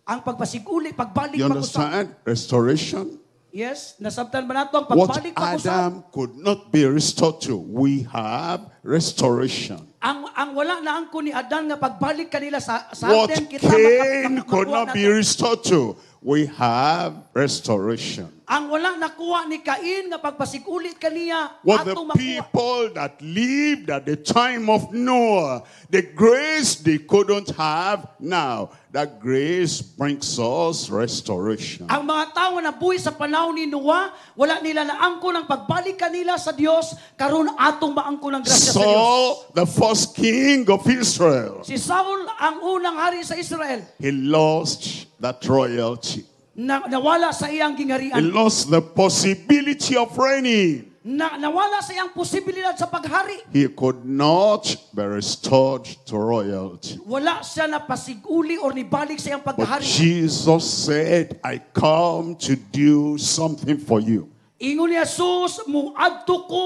ang pagpasiguli, pagbalik You pag-usab. understand? Restoration. Yes, nasabtan ba nato ang What pagbalik pag-usab? Adam could not be restored to, we have restoration. Ang ang wala na angko ni Adan nga pagbalik kanila sa sa What atin kita Cain maka- could makakuha not be nato. restored to, we have restoration. Ang wala nakuha ni Cain nga pagpasiguli kaniya What the ato makuha. People that lived at the time of Noah, the grace they couldn't have now, that grace brings us restoration. Ang mga tao nga nabuhi sa panahon ni Noah, wala nila naangko ng pagbalik kanila sa Dios, karon atong maangko ng grasya sa Dios. Saul, the first king of Israel, Si Saul ang unang hari sa Israel. He lost that royalty. Na, nawala sa iyang He gingharian. Lost the possibility of reigning. Na, nawala sa iyang posibilidad sa paghari. He could not be restored to royalty. Wala siya napasiguli or nibalik sa iyang But paghari. Jesus said, "I come to do something for you." Ingon ni Jesus, muadto ko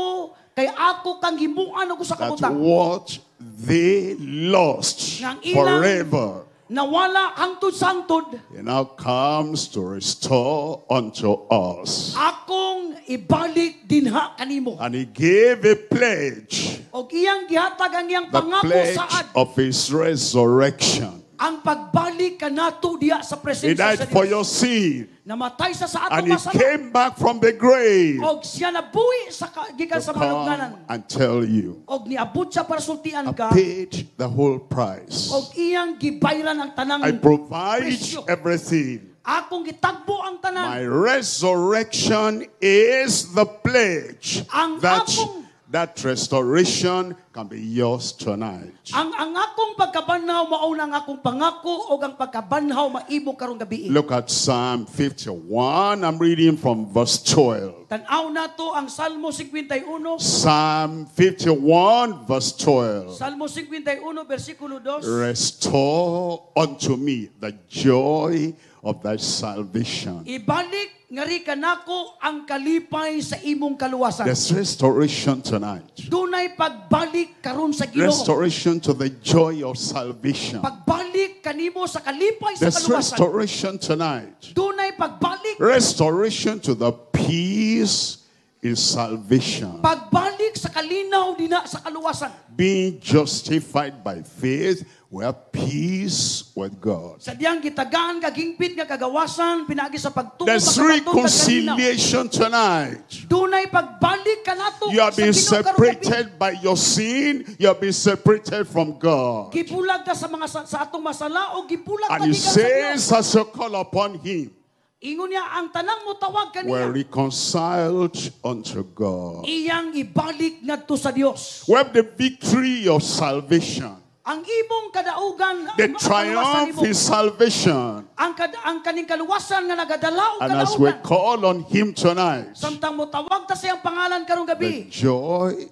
kay ako kang himuan og usa ka That butang. what they lost Nga ang ilang forever, Nawala hangtod sa hangtod. He now comes to restore unto us. Akong ibalik dinha kanimo. And he gave a pledge. Og iyang gihatag ang iyang The pangako pledge saad. of his resurrection. Ang pagbalik kanato diha sa He presensya died sa for Dios. your sin. Namatay sa sa And atong he masala. came back from the grave Og siya nabuhi sa ka- gikan to sa mga lugnanan. come and tell you, Og niabot siya para sultian I ka. paid the whole price. Og iyang gibayran ang tanang I provide presyo. everything. Akong gitagbo ang tanan. My resurrection is the pledge Ang that akong- that restoration can be yours tonight. Ang ang akong pagkabanhaw mao na ang akong pangako og ang pagkabanhaw maimo karong gabi. Look at Psalm fifty-one. I'm reading from verse twelve. Tan-aw nato ang Salmo fifty-one. Psalm fifty-one verse twelve. Salmo fifty-one bersikulo two. Restore unto me the joy of thy salvation. Ibalik ngari kanako ang kalipay sa imong kaluwasan. There's restoration tonight. Dunay pagbalik karon sa Ginoo. Restoration to the joy of salvation. Pagbalik kanimo sa kalipay sa There's kaluwasan. restoration tonight. Dunay pagbalik. Restoration to the peace in salvation. Pagbalik sa kalinaw dina sa kaluwasan. Being justified by faith, we have peace with God. Sa diyang gitagaan kag hingpit nga kagawasan pinaagi sa pagtuo There's makabaton kag kalinaw. reconciliation tonight. Dunay pagbalik kanato You have sa been Ginoo karong gabi. separated by your sin. You have been separated from God. Gibulag ta sa mga sa, sa atong masala o gibulag ta And he gikan sa Dios. says, as you call upon him, Ingon niya ang tanang motawag we're kaniya. Reconciled unto God. Iyang ibalik ngadto sa Dios. We have the victory of salvation. Ang imong kadaugan, The ang kaluwasan triumph nimo, is salvation. ang kad, ang kaning kaluwasan nga nagadala og And as we kadaugan. Call on him tonight, Samtang motawag ta sa iyang pangalan karong the gabi, joy,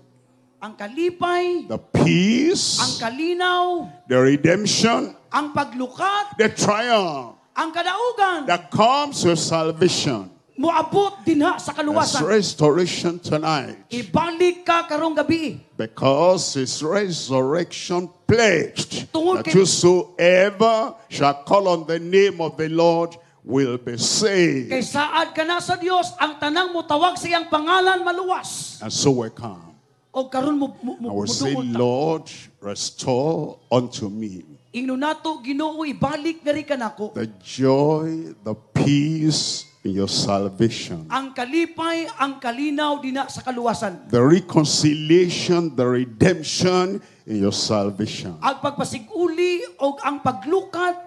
ang kalipay, the ang peace, kalinaw, the redemption, ang paglukat, the triumph ang kadaugan that comes with salvation. Moabot dinha sa There's kaluwasan. restoration tonight. Ibalik ka karong gabi. Because his resurrection pledged Tungod that kay- whosoever shall call on the name of the Lord will be saved. Kay saad ka na sa Dios, ang tanang motawag sa iyang pangalan maluwas. And so we come. O karon mo, mo, mo I will say, moduol ta. "Lord, restore unto me Ingnon nato, Ginoo, ibalik ngari kanako the joy, the peace in your salvation, ang kalipay, ang kalinaw dina sa kaluwasan. the reconciliation, the redemption in your salvation." Ang pagpasiguli og ang paglukat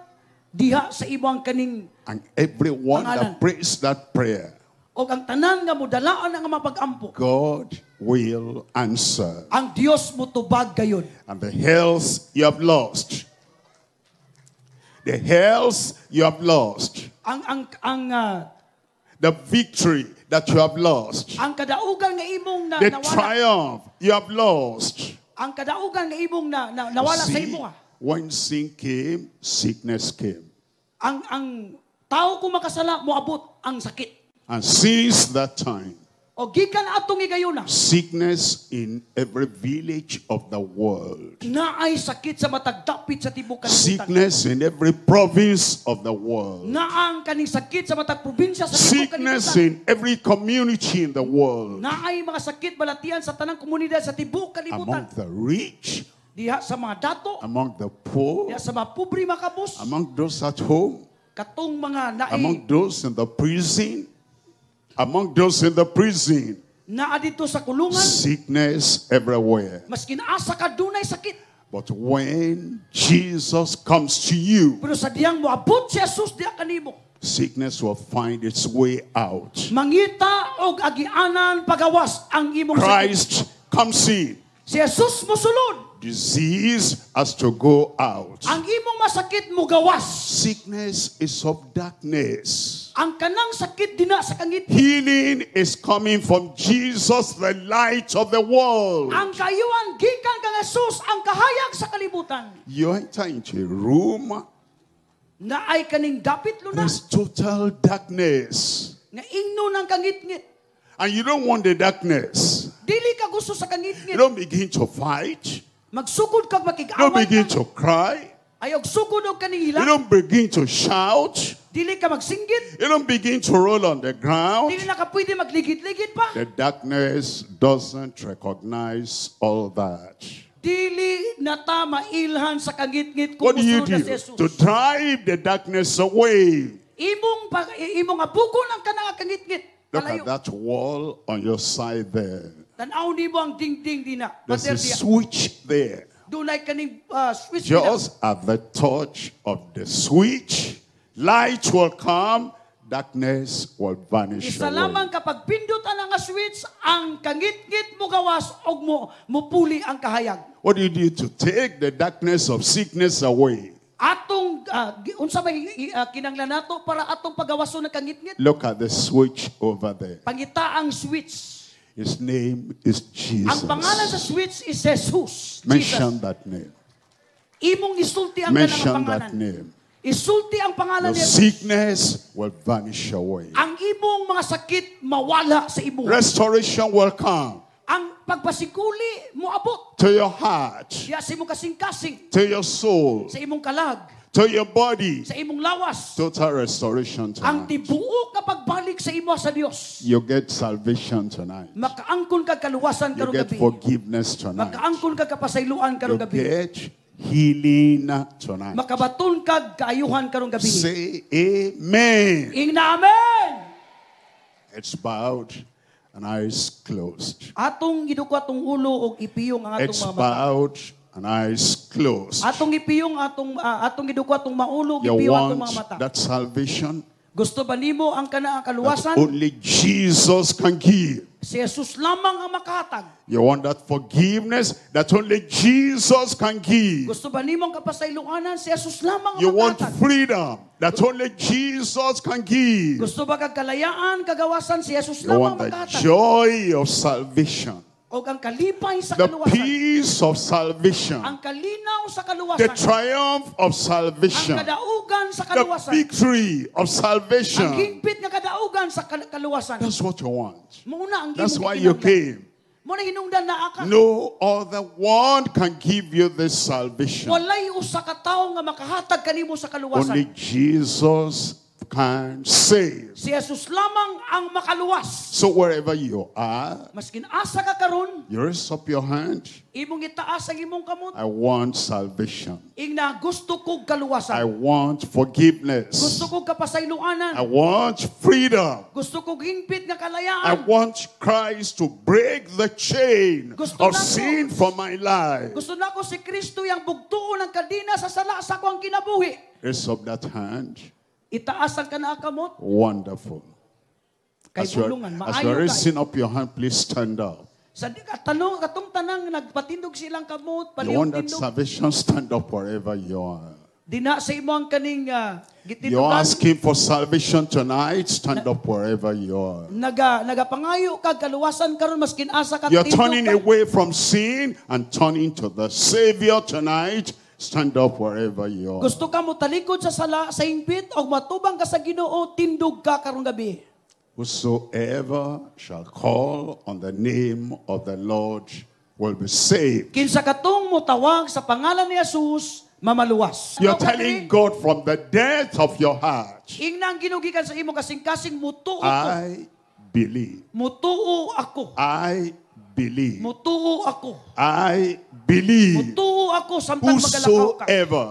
diha sa imong kaning And everyone pangalan. That prays that prayer, Og ang tanan nga modalaan ang mga pag-ampo, God will answer. ang Dios motubag gayon. And the health you have lost, the health you have lost, Ang ang ang ah, the victory that you have lost, ang kadaugan nga imong na, the nawala, triumph you have lost. Ang kadaugan nga imong na, na nawala sa See, imo ah. when sin came, sickness came. Ang ang tao kung makasala moabot ang sakit. And since that time, O gikan atong higayuna, sickness in every village of the world, naay sakit sa matag dapit sa tibuok kalibutan. Sickness in every province of the world, Naa ang kaning sakit sa matag probinsya sa tibuok sickness kalibutan. In every community in the world, Naay mga sakit balatian sa tanang komunidad sa tibuok kalibutan. Among the rich, Diha sa mga dato, among the poor, diha sa mga pobre makabos, among those at home, katong mga naay among those in the prison, among those in the prison, Naa dito sa kulungan, Sickness everywhere. Maskin asa ka dunay sakit. But when Jesus comes to you, Pero sa diyang moabot si Jesus diha kanimo, sickness will find its way out. Mangita og agianan pagawas ang imong sakit. Christ comes in. Si Jesus mosulod, Disease has to go out. Ang imong masakit mogawas. Sickness is of darkness. Ang kanang sakit dina sa kangit. Healing is coming from Jesus, the light of the world. Ang kaayuhan gikan kang Jesus ang kahayag sa kalibutan. You enter into a room, Naay kaning dapit luna there's total darkness. Nga ingno ng kangitngit. And you don't want the darkness. Dili ka gusto sa You kangitngit. don't begin to fight. Magsugod kag You don't makig-away begin ka. To cry. Ayaw sugod og kaning You hilak. don't begin to shout. Dili ka magsinggit. You don't begin to roll on the ground. Dili na ka pwede magligid-ligid pa. The darkness doesn't recognize all that. Dili na ta mailhan sa kangitngit kung What do you musunod na do si Jesus. to drive the darkness away? Imong pag imong abugon ang kanang kangitngit. Look Palayo. at that wall on your side there. Tan-aw nimo ang dingding dina. There's a Pader diya. switch there. Dunay kaning ah, switch dina. Just at the touch of the switch, light will come, darkness will vanish Isa away. lamang kapag pindot ang nga switch, ang kangitngit mo gawas og mo mupuli ang kahayag. What do you do to take the darkness of sickness away? Atong ah, gi- unsa may uh, kinahanglan nato para atong pagawason ng kangitngit? Look at the switch over there. Pangita ang switch. His name is Ang Jesus. pangalan sa switch is Jesus. Mention Jesus. that name. Imong isulti ang kanang Mention that pangalan. name. Isulti ang pangalan Your ni Jesus. sickness will vanish away. Ang imong mga sakit mawala sa imo. Restoration will come Ang pagpasikuli moabot to your heart, diya sa imong kasing-kasing, to your soul, sa imong kalag, to your body. sa imong lawas. Total restoration Ang tonight. tibuok nga pagbalik sa imo sa Dios. You get salvation tonight. Makaangkon kag kaluwasan You karong get gabi. forgiveness tonight. Makaangkon kag kapasayloan You karong gabi. get healing tonight. Makabaton kag kaayuhan karong gabi. Say amen. Ingna amen. It's bowed and eyes closed. Atong giduko atong ulo og ipiyong ang atong It's mga mata. bowed and eyes closed. Atong ipiyong atong ah, atong giduko atong maulo og You ipiyong atong want mga mata. that salvation Gusto ba nimo ang kana ang that kaluwasan? only Jesus can give. Si Jesus lamang ang makahatag. You want that forgiveness that only Jesus can give. Gusto ba nimo ang kapasayloanan? Si Jesus lamang ang You want makahatag. freedom that only Jesus can give. Gusto ba kag kalayaan, kagawasan? Si Jesus You lamang want ang the makahatag. joy of salvation, Og ang kalipay sa the kaluwasan. peace of salvation, Ang kalinaw sa the kaluwasan. triumph of Ang salvation, kadaugan sa the kaluwasan. victory of Ang salvation. hingpit nga kadaugan sa kal- kaluwasan. That's what you want. Muna ang That's imong why you gikinahanglan. came. Muna hinungdan naa ka. No other one can give you this salvation. Walay usa ka tawo nga makahatag kanimo sa kaluwasan. Only Jesus can save. Si Jesus lamang ang makaluwas. So wherever you are, Maskin asa ka karon, you raise up your hand. imong itaas ang imong kamot. I want salvation. Ingna gusto kog I kaluwasan. want forgiveness. Gusto kog kapasayloanan. I want freedom. Gusto kog hingpit nga I kalayaan. want Christ to break the chain Gusto of na ko. sin from my life. Gusto nako si Kristo yang bugtuon ang kadena sa sala sa akong kinabuhi. Raise up that hand. Itaas ang kanaa kamot Wonderful. kay As you're, bulungan as maayo you're kay. raising up your hand, please stand up. Sa di- tanong katong tanang nagpatindog silang kamot, You want palihog that tindog. salvation? Stand up wherever you are. Dina sa imo ang kaning uh, You're gitindugan. asking for salvation tonight? Stand up wherever you are. Naga nagapangayo kag kaluwasan karon maskin asa ka You're tindog turning ka. away from sin and turning to the Savior tonight. Stand up wherever you are. Gusto ka mo talikod sa sala sa hingpit og matubang ka sa Ginoo, tindog ka karong gabi. Whosoever shall call on the name of the Lord will be saved. Kinsa katong motawag sa pangalan ni Jesus, mamaluwas. You're Ano ka telling diri? God from the depth of your heart, Ingna ang ginugikan sa imong kasing-kasing mutuo ko. I believe. Mutuo ako. I believe. Mutuo ako. I believe. Mutuo ako samtang magalakaw ka. Whosoever.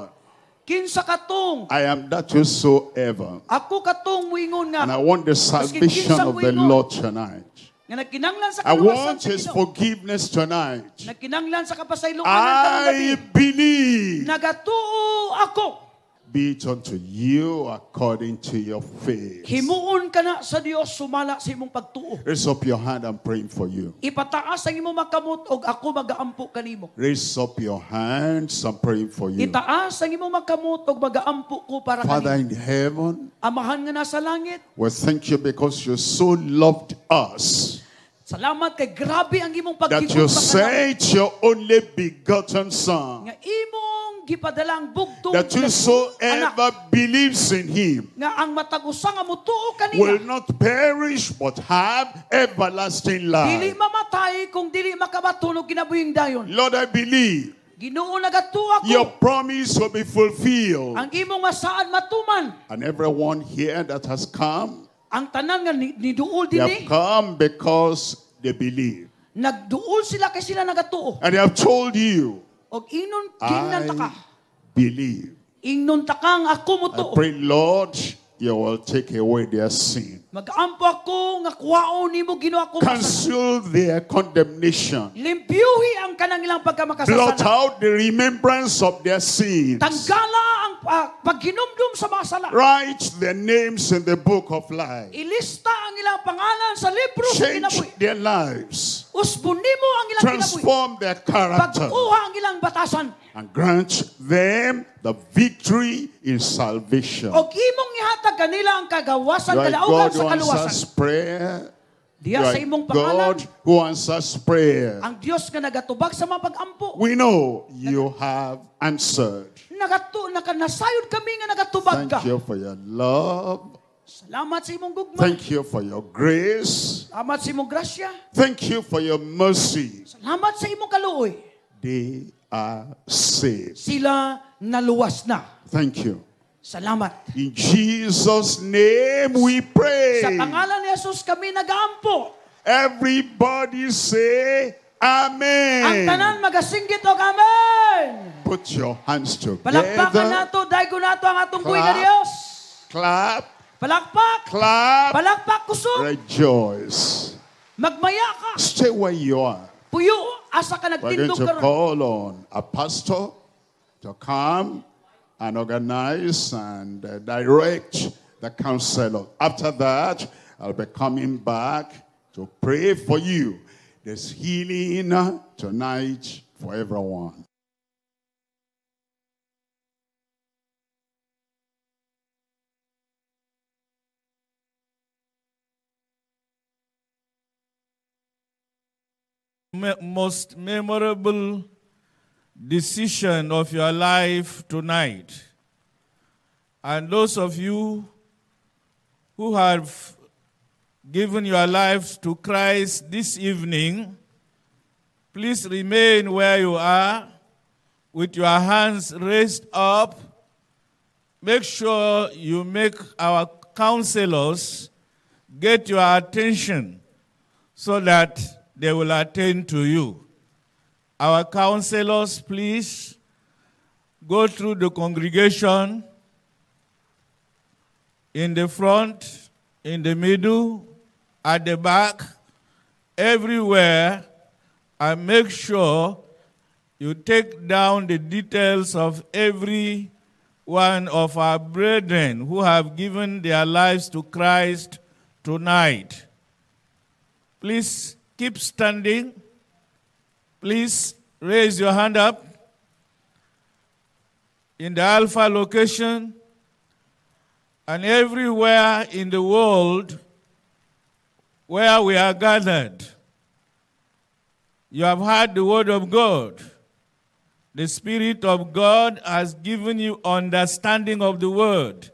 Kinsa katong I am that whosoever. ako katong muingon nga And I want the salvation kinsa of the muingon. Lord tonight. nga nagkinanglan sa I kaluwasan want sa his Ginoo. forgiveness tonight. Nagkinanglan sa kapasayloan karong gabi. I believe. Nagatuo ako. Be it unto you according to your faith. Himuon ka na sa Dios sumala sa imong pagtuo. Raise up your hand, I'm praying for you. Ipataas ang imong makamot og ako magaampo kanimo. Raise up your hands, I'm praying for you. Itaas ang imong makamot og magaampo ko para Father kanimo. in heaven, Amahan nga nasa langit, we thank you because you so loved us salamat kay grabe ang imong that you pagkigugma kanamo. sent your only begotten Son, Nga imong gipadala ang bugtong that anak whosoever believes in him nga ang matag usa nga motuo kaniya will not perish but have everlasting dili life. mamatay kung dili makabaton og kinabuhing dayon. Lord, I believe Ginoo nagatuo ako. Your promise will be fulfilled. Ang imong masaad matuman. And everyone here that has come, Ang tanan nga ni- niduol they dinhi, have come because they believe. nagduol sila kay sila nagatuo. And they have told you, Og ingnon gingnan ta ka. I believe. Ingnon ta kang ako I motuo. pray, Lord, you will take away their sin. Magampo ako nga kuwaon nimo Ginoo ako masala. Cancel their condemnation. Limpyuhi ang kanang ilang Blot pagkamakasasala. out the remembrance of their sins. Tanggala ang ah, paghinumdum sa mga sala. Write their names in the book of life. Ilista ang ilang pangalan sa libro sa Change kinabuhi. their lives. Usbon nimo ang ilang kinabuhi. Transform their character. Pag-uha ang ilang batasan. And grant them the victory in salvation. Og imong ihatag kanila ang kagawasan You are kadaugan God sa who kaluwasan. answers prayer. You Diya are sa imong pangalan, God who answers prayer. ang Dios nga nagatubag sa mga pag-ampo. We know you have answered. Nagatu naka nasayod kami nga nagatubag ka. Thank you for your love. Salamat sa imong gugma. Thank you for your grace. Salamat sa imong grasya. Thank you for your mercy. Salamat sa imong kaluoy. They are saved. Sila naluwas na. Thank you. Salamat. In Jesus' name we pray. Sa pangalan ni Jesus kami nagaampo. Everybody say Amen. Ang tanan magasinggit og amen. Put your hands Palakpakan together. nato, daygo nato ang atong buhi nga Clap. Dios. Clap, Palakpak. clap, Palakpak kusog. rejoice. Magmaya ka. Stay where you are. Puyo asa ka We're going nagtindog to karon. call on a pastor to come and organize and uh, direct the counselor. After that, I'll be coming back to pray for you. There's healing tonight for everyone. me- most memorable decision of your life tonight. And those of you who have given your lives to Christ this evening, please remain where you are with your hands raised up. Make sure you make our counselors get your attention so that they will attend to you. Our counselors, please go through the congregation in the front, in the middle, at the back, everywhere, and make sure you take down the details of every one of our brethren who have given their lives to Christ tonight. Please keep standing. Please raise your hand up. In the Alpha location and everywhere in the world where we are gathered, you have heard the word of God. The Spirit of God has given you understanding of the word.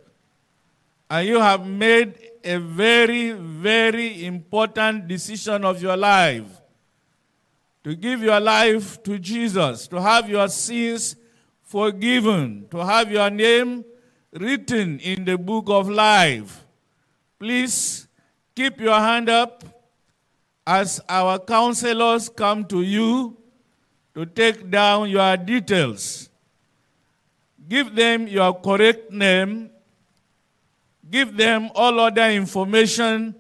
And you have made a very, very important decision of your life to give your life to Jesus, to have your sins forgiven, to have your name written in the book of life. Please keep your hand up as our counselors come to you to take down your details. Give them your correct name. Give them all other information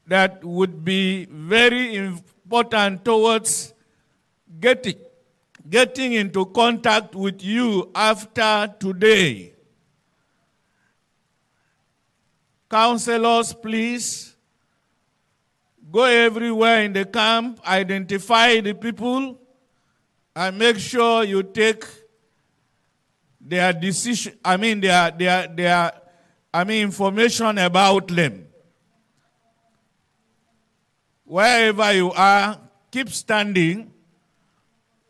that would be very important towards getting, getting into contact with you after today. Counselors, please go everywhere in the camp, identify the people, and make sure you take their decision, I mean their, their, their I mean information about them. Wherever you are, keep standing.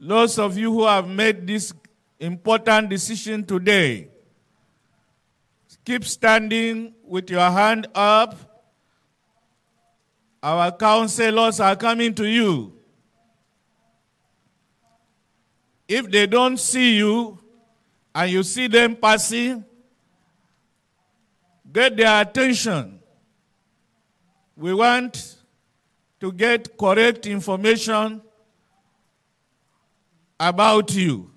Those of you who have made this important decision today, keep standing with your hand up. Our counselors are coming to you. If they don't see you and you see them passing, get their attention. We want to get correct information about you.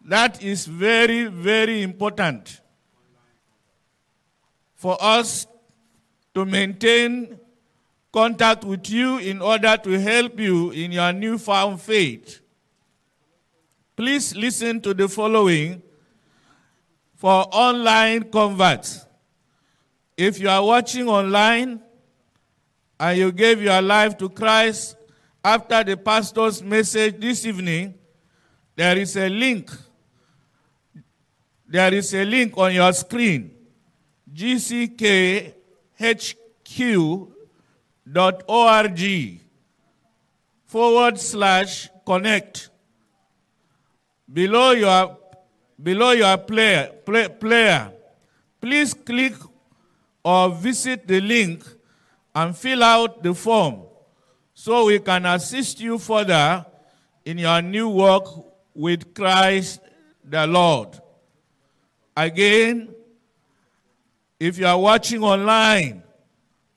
That is very, very important for us to maintain contact with you in order to help you in your newfound faith. Please listen to the following for online converts. If you are watching online and you gave your life to Christ after the pastor's message this evening, there is a link. There is a link on your screen gckhq dot org forward slash connect. Below your, below your player, play, player, please click or visit the link and fill out the form so we can assist you further in your new walk with Christ the Lord. Again, if you are watching online,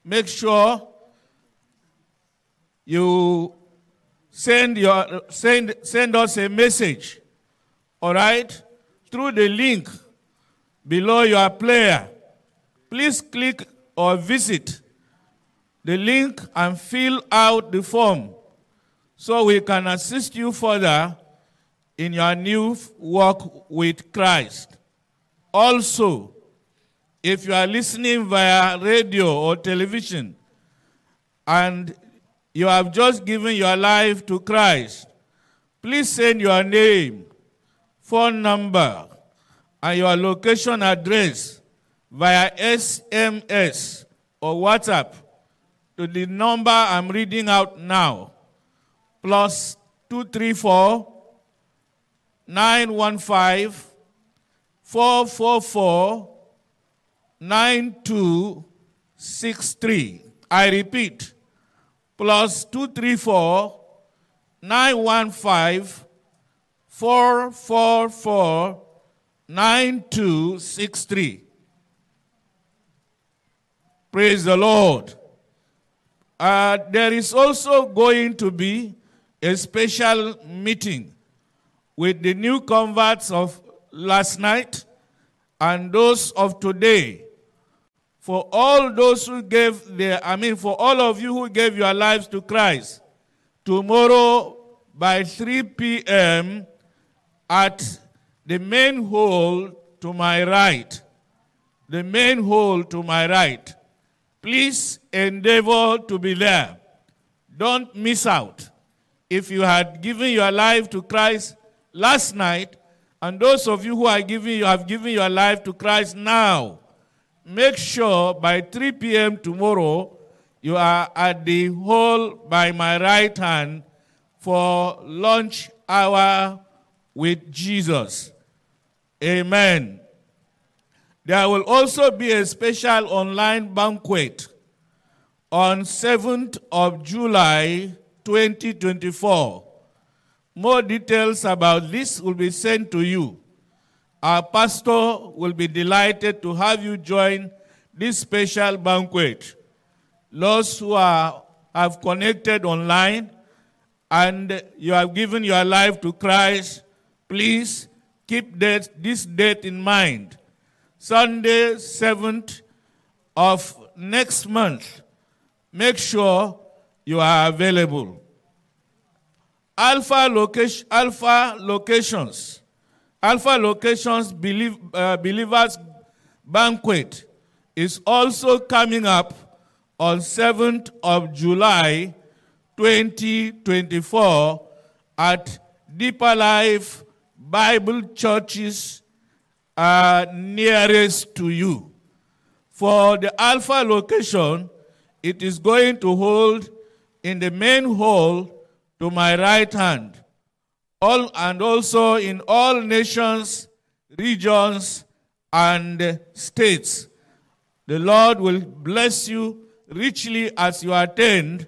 make sure you send, your, send, send us a message, all right, through the link below your player. Please click or visit the link and fill out the form so we can assist you further in your new walk with Christ. Also, if you are listening via radio or television and you have just given your life to Christ, please send your name, phone number, and your location address via S M S or WhatsApp to the number I'm reading out now, plus two three four, nine one five, four four four, nine two six three. I repeat, plus two three four, nine one five, four four four, nine two six three. Praise the Lord. Uh, there is also going to be a special meeting with the new converts of last night and those of today. For all those who gave their, I mean, for all of you who gave your lives to Christ, tomorrow by three p m at the main hall to my right. The main hall to my right. Please endeavor to be there. Don't miss out. If you had given your life to Christ last night, and those of you who are giving, you have given your life to Christ now, make sure by three p m tomorrow you are at the hall by my right hand for lunch hour with Jesus. Amen. There will also be a special online banquet on seventh of July twenty twenty-four. More details about this will be sent to you. Our pastor will be delighted to have you join this special banquet. Those who are, have connected online and you have given your life to Christ, please keep that, this date in mind. Sunday, seventh of next month. Make sure you are available. Alpha, location, Alpha locations. Alpha Locations Believe, uh, Believers Banquet is also coming up on seventh of July twenty twenty-four at Deeper Life Bible Churches uh, nearest to you. For the Alpha location, it is going to hold in the main hall to my right hand, all, and also in all nations, regions, and states. The Lord will bless you richly as you attend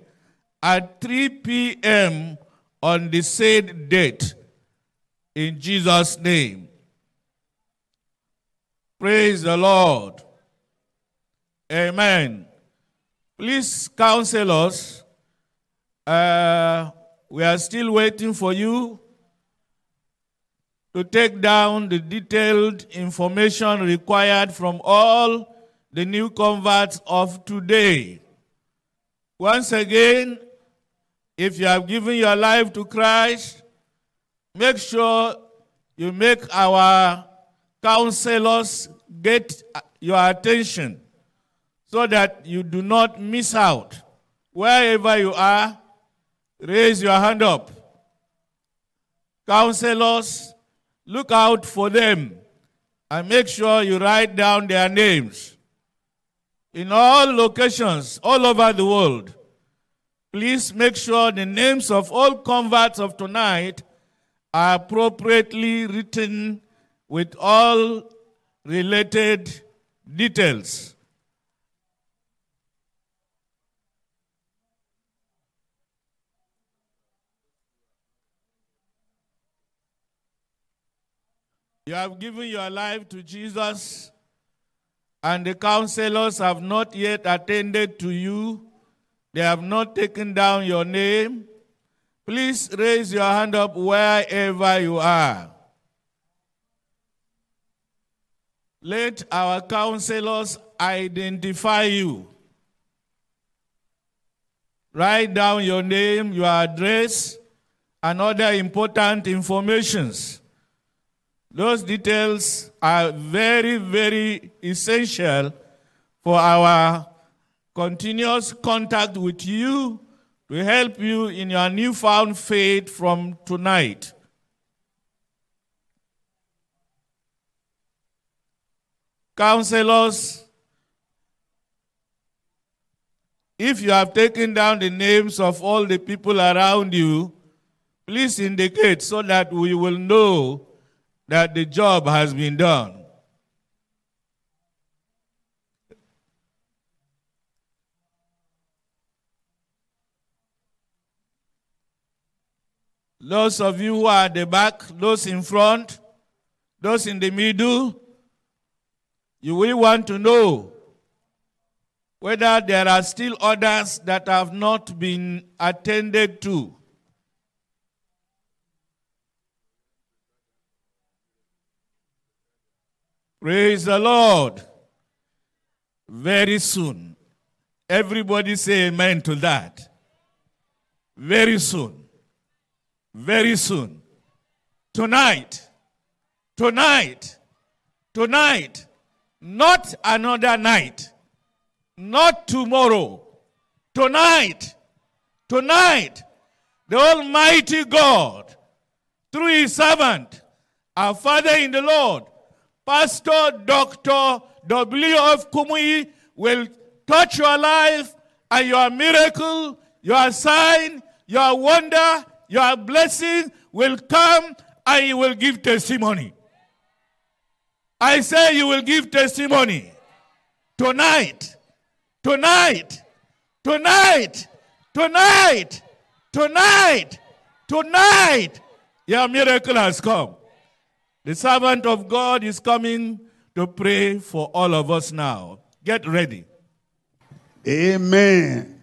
at three p m on the said date. In Jesus' name. Praise the Lord. Amen. Please counsel us. Uh, we are still waiting for you to take down the detailed information required from all the new converts of today. Once again, if you have given your life to Christ, make sure you make our counselors get your attention so that you do not miss out. Wherever you are, raise your hand up. Counselors, look out for them and make sure you write down their names. In all locations, all over the world, please make sure the names of all converts of tonight are appropriately written with all related details. You have given your life to Jesus, and the counselors have not yet attended to you. They have not taken down your name. Please raise your hand up wherever you are. Let our counselors identify you. Write down your name, your address, and other important informations. Those details are very, very essential for our continuous contact with you to help you in your newfound faith from tonight. Counselors, if you have taken down the names of all the people around you, please indicate so that we will know that the job has been done. Those of you who are at the back, those in front, those in the middle, you will want to know whether there are still others that have not been attended to. Praise the Lord. Very soon. Everybody say amen to that. Very soon. Very soon. Tonight. Tonight. Tonight. Not another night. Not tomorrow. Tonight. Tonight. The Almighty God, through His servant, our Father in the Lord, Pastor Doctor W F. Kumuyi, will touch your life and your miracle, your sign, your wonder, your blessing will come and you will give testimony. I say you will give testimony. Tonight, tonight, tonight, tonight, tonight, tonight, your miracle has come. The servant of God is coming to pray for all of us now. Get ready. Amen.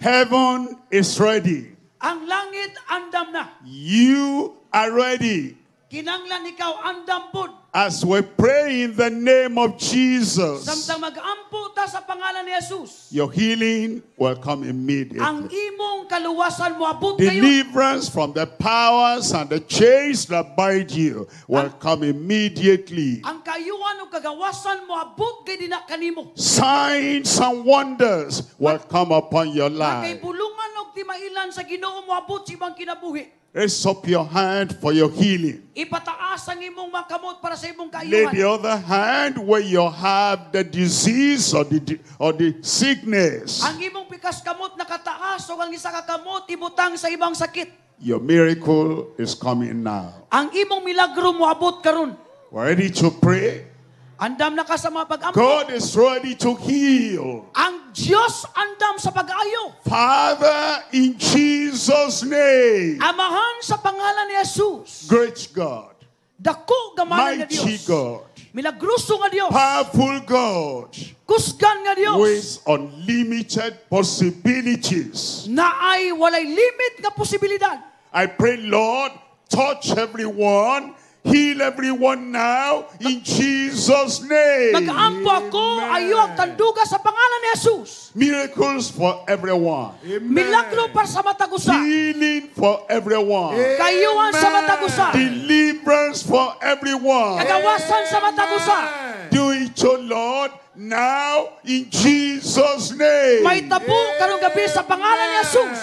Heaven is ready. Ang langit andam na. You are ready. Kinanglan ikaw andam pud. As we pray in the name of Jesus, Samtang mag-ampo ta sa pangalan ni Jesus, your healing will come immediately. Ang imong kaluwasan moabot kayo. Deliverance from the powers and the chains that bind you will Ang come immediately. Ang kaayuhan ug kagawasan moabot kay dina kanimo. Signs and wonders will come upon your Kay life. bulungan og timailan sa Ginoo moabot sa imong kinabuhi. Raise up your hand for your healing. Ipataas ang imong mga kamot para sa imong Lay kaayuhan. the other hand where you have the disease or the, or the sickness. Ang imong pikas kamot nakataas o ang isa ka kamot ibutang sa ibang sakit. Your miracle is coming now. Ang imong milagro moabot karon. We're ready to pray. Andam na ka sa mga pag-ampo. God is ready to heal. Ang Diyos andam sa pag-ayo. Father, in Jesus' name. Amahan sa pangalan ni Jesus. Great God. Dako gamanan nga Mighty Dios. God. Milagroso nga Dios. Powerful God. Kusgan nga Dios. With unlimited possibilities. Naay walay limit nga posibilidad. I pray, Lord, touch everyone, heal everyone now in Jesus' name. Mag-ampo ako ayo ang tanduga sa pangalan ni Jesus. Miracles for everyone. Milagro para sa matag usa. Healing for everyone. Kayuhan sa matag usa. Deliverance for everyone. Kagawasan sa matag usa. Do it, O Lord, now in Jesus' name. Mahitabo karong gabi sa pangalan ni Jesus.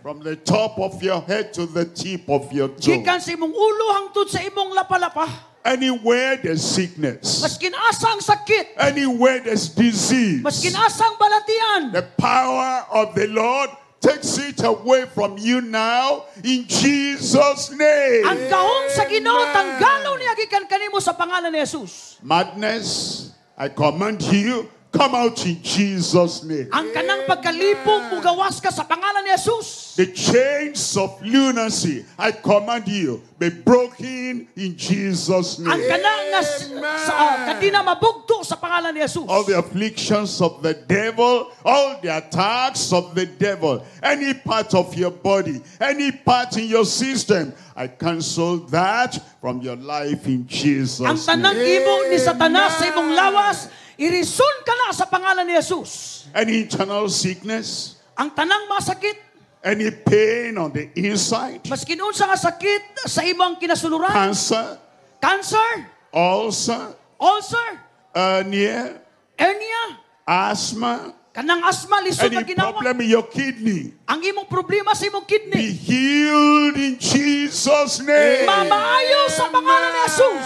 From the top of your head to the tip of your toe. Gikan sa imong ulo hangtod sa imong lapalapa. Anywhere there's sickness, Maskin asa ang sakit, anywhere there's disease, maskin asa ang balatian, the power of the Lord takes it away from you now in Jesus' ang name. gahom sa Ginoo tanggalon niya gikan kanimo sa pangalan ni Jesus. Madness, I command you, come out in Jesus' name. Ang kanang pagkalipong mugawas ka sa pangalan ni Jesus. The chains of lunacy, I command you, be broken in Jesus' Ang name. kanang nga s- sa ah, kadina mabugto sa pangalan ni Jesus. All the afflictions of the devil, all the attacks of the devil, any part of your body, any part in your system, I cancel that from your life in Ang Jesus' tanang name. imo ni Satanas sa imong lawas, irison ka na sa pangalan ni Jesus. Any internal sickness, Ang tanang masakit, any pain on the inside, maskin unsa nga sakit sa imong kinasuluran, cancer, cancer, ulcer, ulcer, hernia, hernia, asthma, kanang asma lisod any na ginawa. problem in your kidney, Ang imong problema sa imong be kidney, healed in Jesus' name. mamaayo sa pangalan ni Jesus.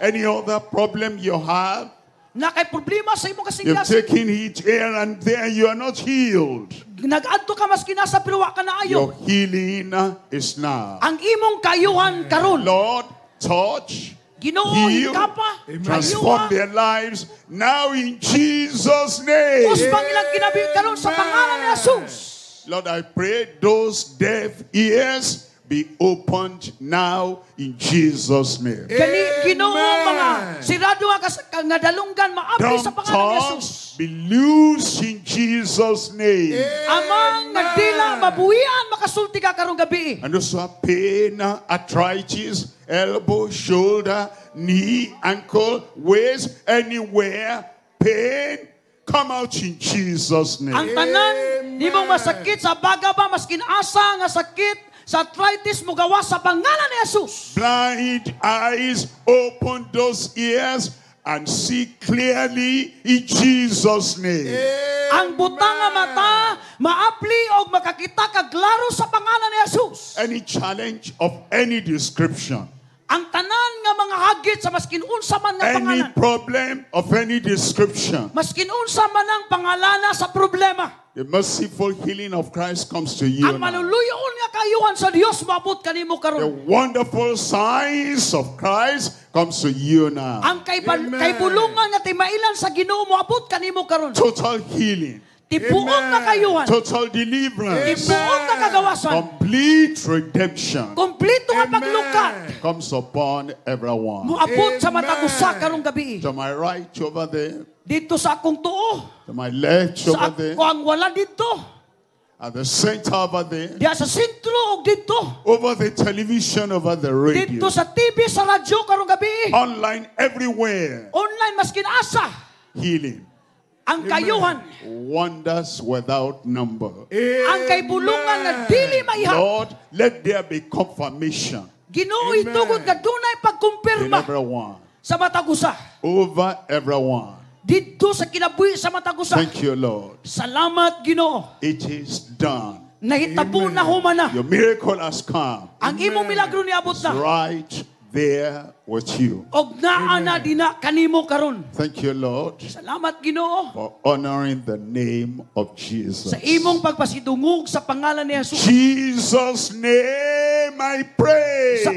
Any other problem you have, Na kay problema sa imong you've kasing-kasing, taken it here and there, you are not healed. nagadto ka maski nasa pero wa ka naayo. Your healing is now. Ang imong kayuhan karon. Lord, touch, Ginoo heal, hikapa, transform ayuha. their lives now in Jesus' name. Usbang ilang kinabuhi karon sa pangalan ni Jesus. Lord, I pray those deaf ears be opened now in Jesus' name. Gani Ginoo mga sirado nga kas- nga dalunggan maabli sa Dumb pangalan ni tongues Jesus. be loose in Jesus' name. Amang nga dila mabuhian makasulti ka karong gabi. And those who have pain, arthritis, elbow, shoulder, knee, ankle, waist, anywhere, pain, come out in Jesus' Ang name. tanan nimong masakit sa baga ba maskin asa nga sakit sa arthritis mugawas sa pangalan ni Jesus. Blind eyes, open those ears and see clearly in Jesus' name. Ang butang nga mata maapli og makakita ka klaro sa pangalan ni Jesus. Any challenge of any description, Ang tanan nga mga hagit sa maskin unsa man nga any pangalan. problem of any description, Maskin unsa man ang pangalana sa problema. the merciful healing of Christ comes to you. Ang now. maluluyon nga kayuhan sa Dios maabot kanimo The karon. wonderful signs of Christ comes to you now. Ang kaibal, Amen. kaibulungan nga timailan sa Ginoo moabot kanimo karon. Total healing, Tibuok nga kayuhan. total deliverance, Tibuok nga kagawasan. complete redemption Kompleto nga Amen. paglukat. comes upon everyone. Moabot sa Amen. matag usa karong gabi. To my right over there, Dito sa akong tuo, to my left sa over there, ako ang wala dito, at the center over there, diya sa sentro og dito, over the television, over the radio, dito sa T V, sa radyo karong gabi. Online, everywhere. Online maskin asa Healing. ang kayuhan, Wonders without number. Ang kaibulungan nga dili maiha. Lord, let there be confirmation Ginoo Amen. itugot nga dunay in pagkumpirma everyone, sa matag usa. Over everyone. Didto sa kinabuhi sa matag usa. Thank you, Lord. Salamat Ginoo. It is done. Nahitabo na human na. Your miracle has come. Ang imong milagro niabot It's na. right there with you. Og naa na dina kanimo karon. Thank you, Lord, Salamat Ginoo for honoring the name of Jesus. sa imong pagpasidungog sa pangalan ni Jesus. Jesus' name I pray. Sa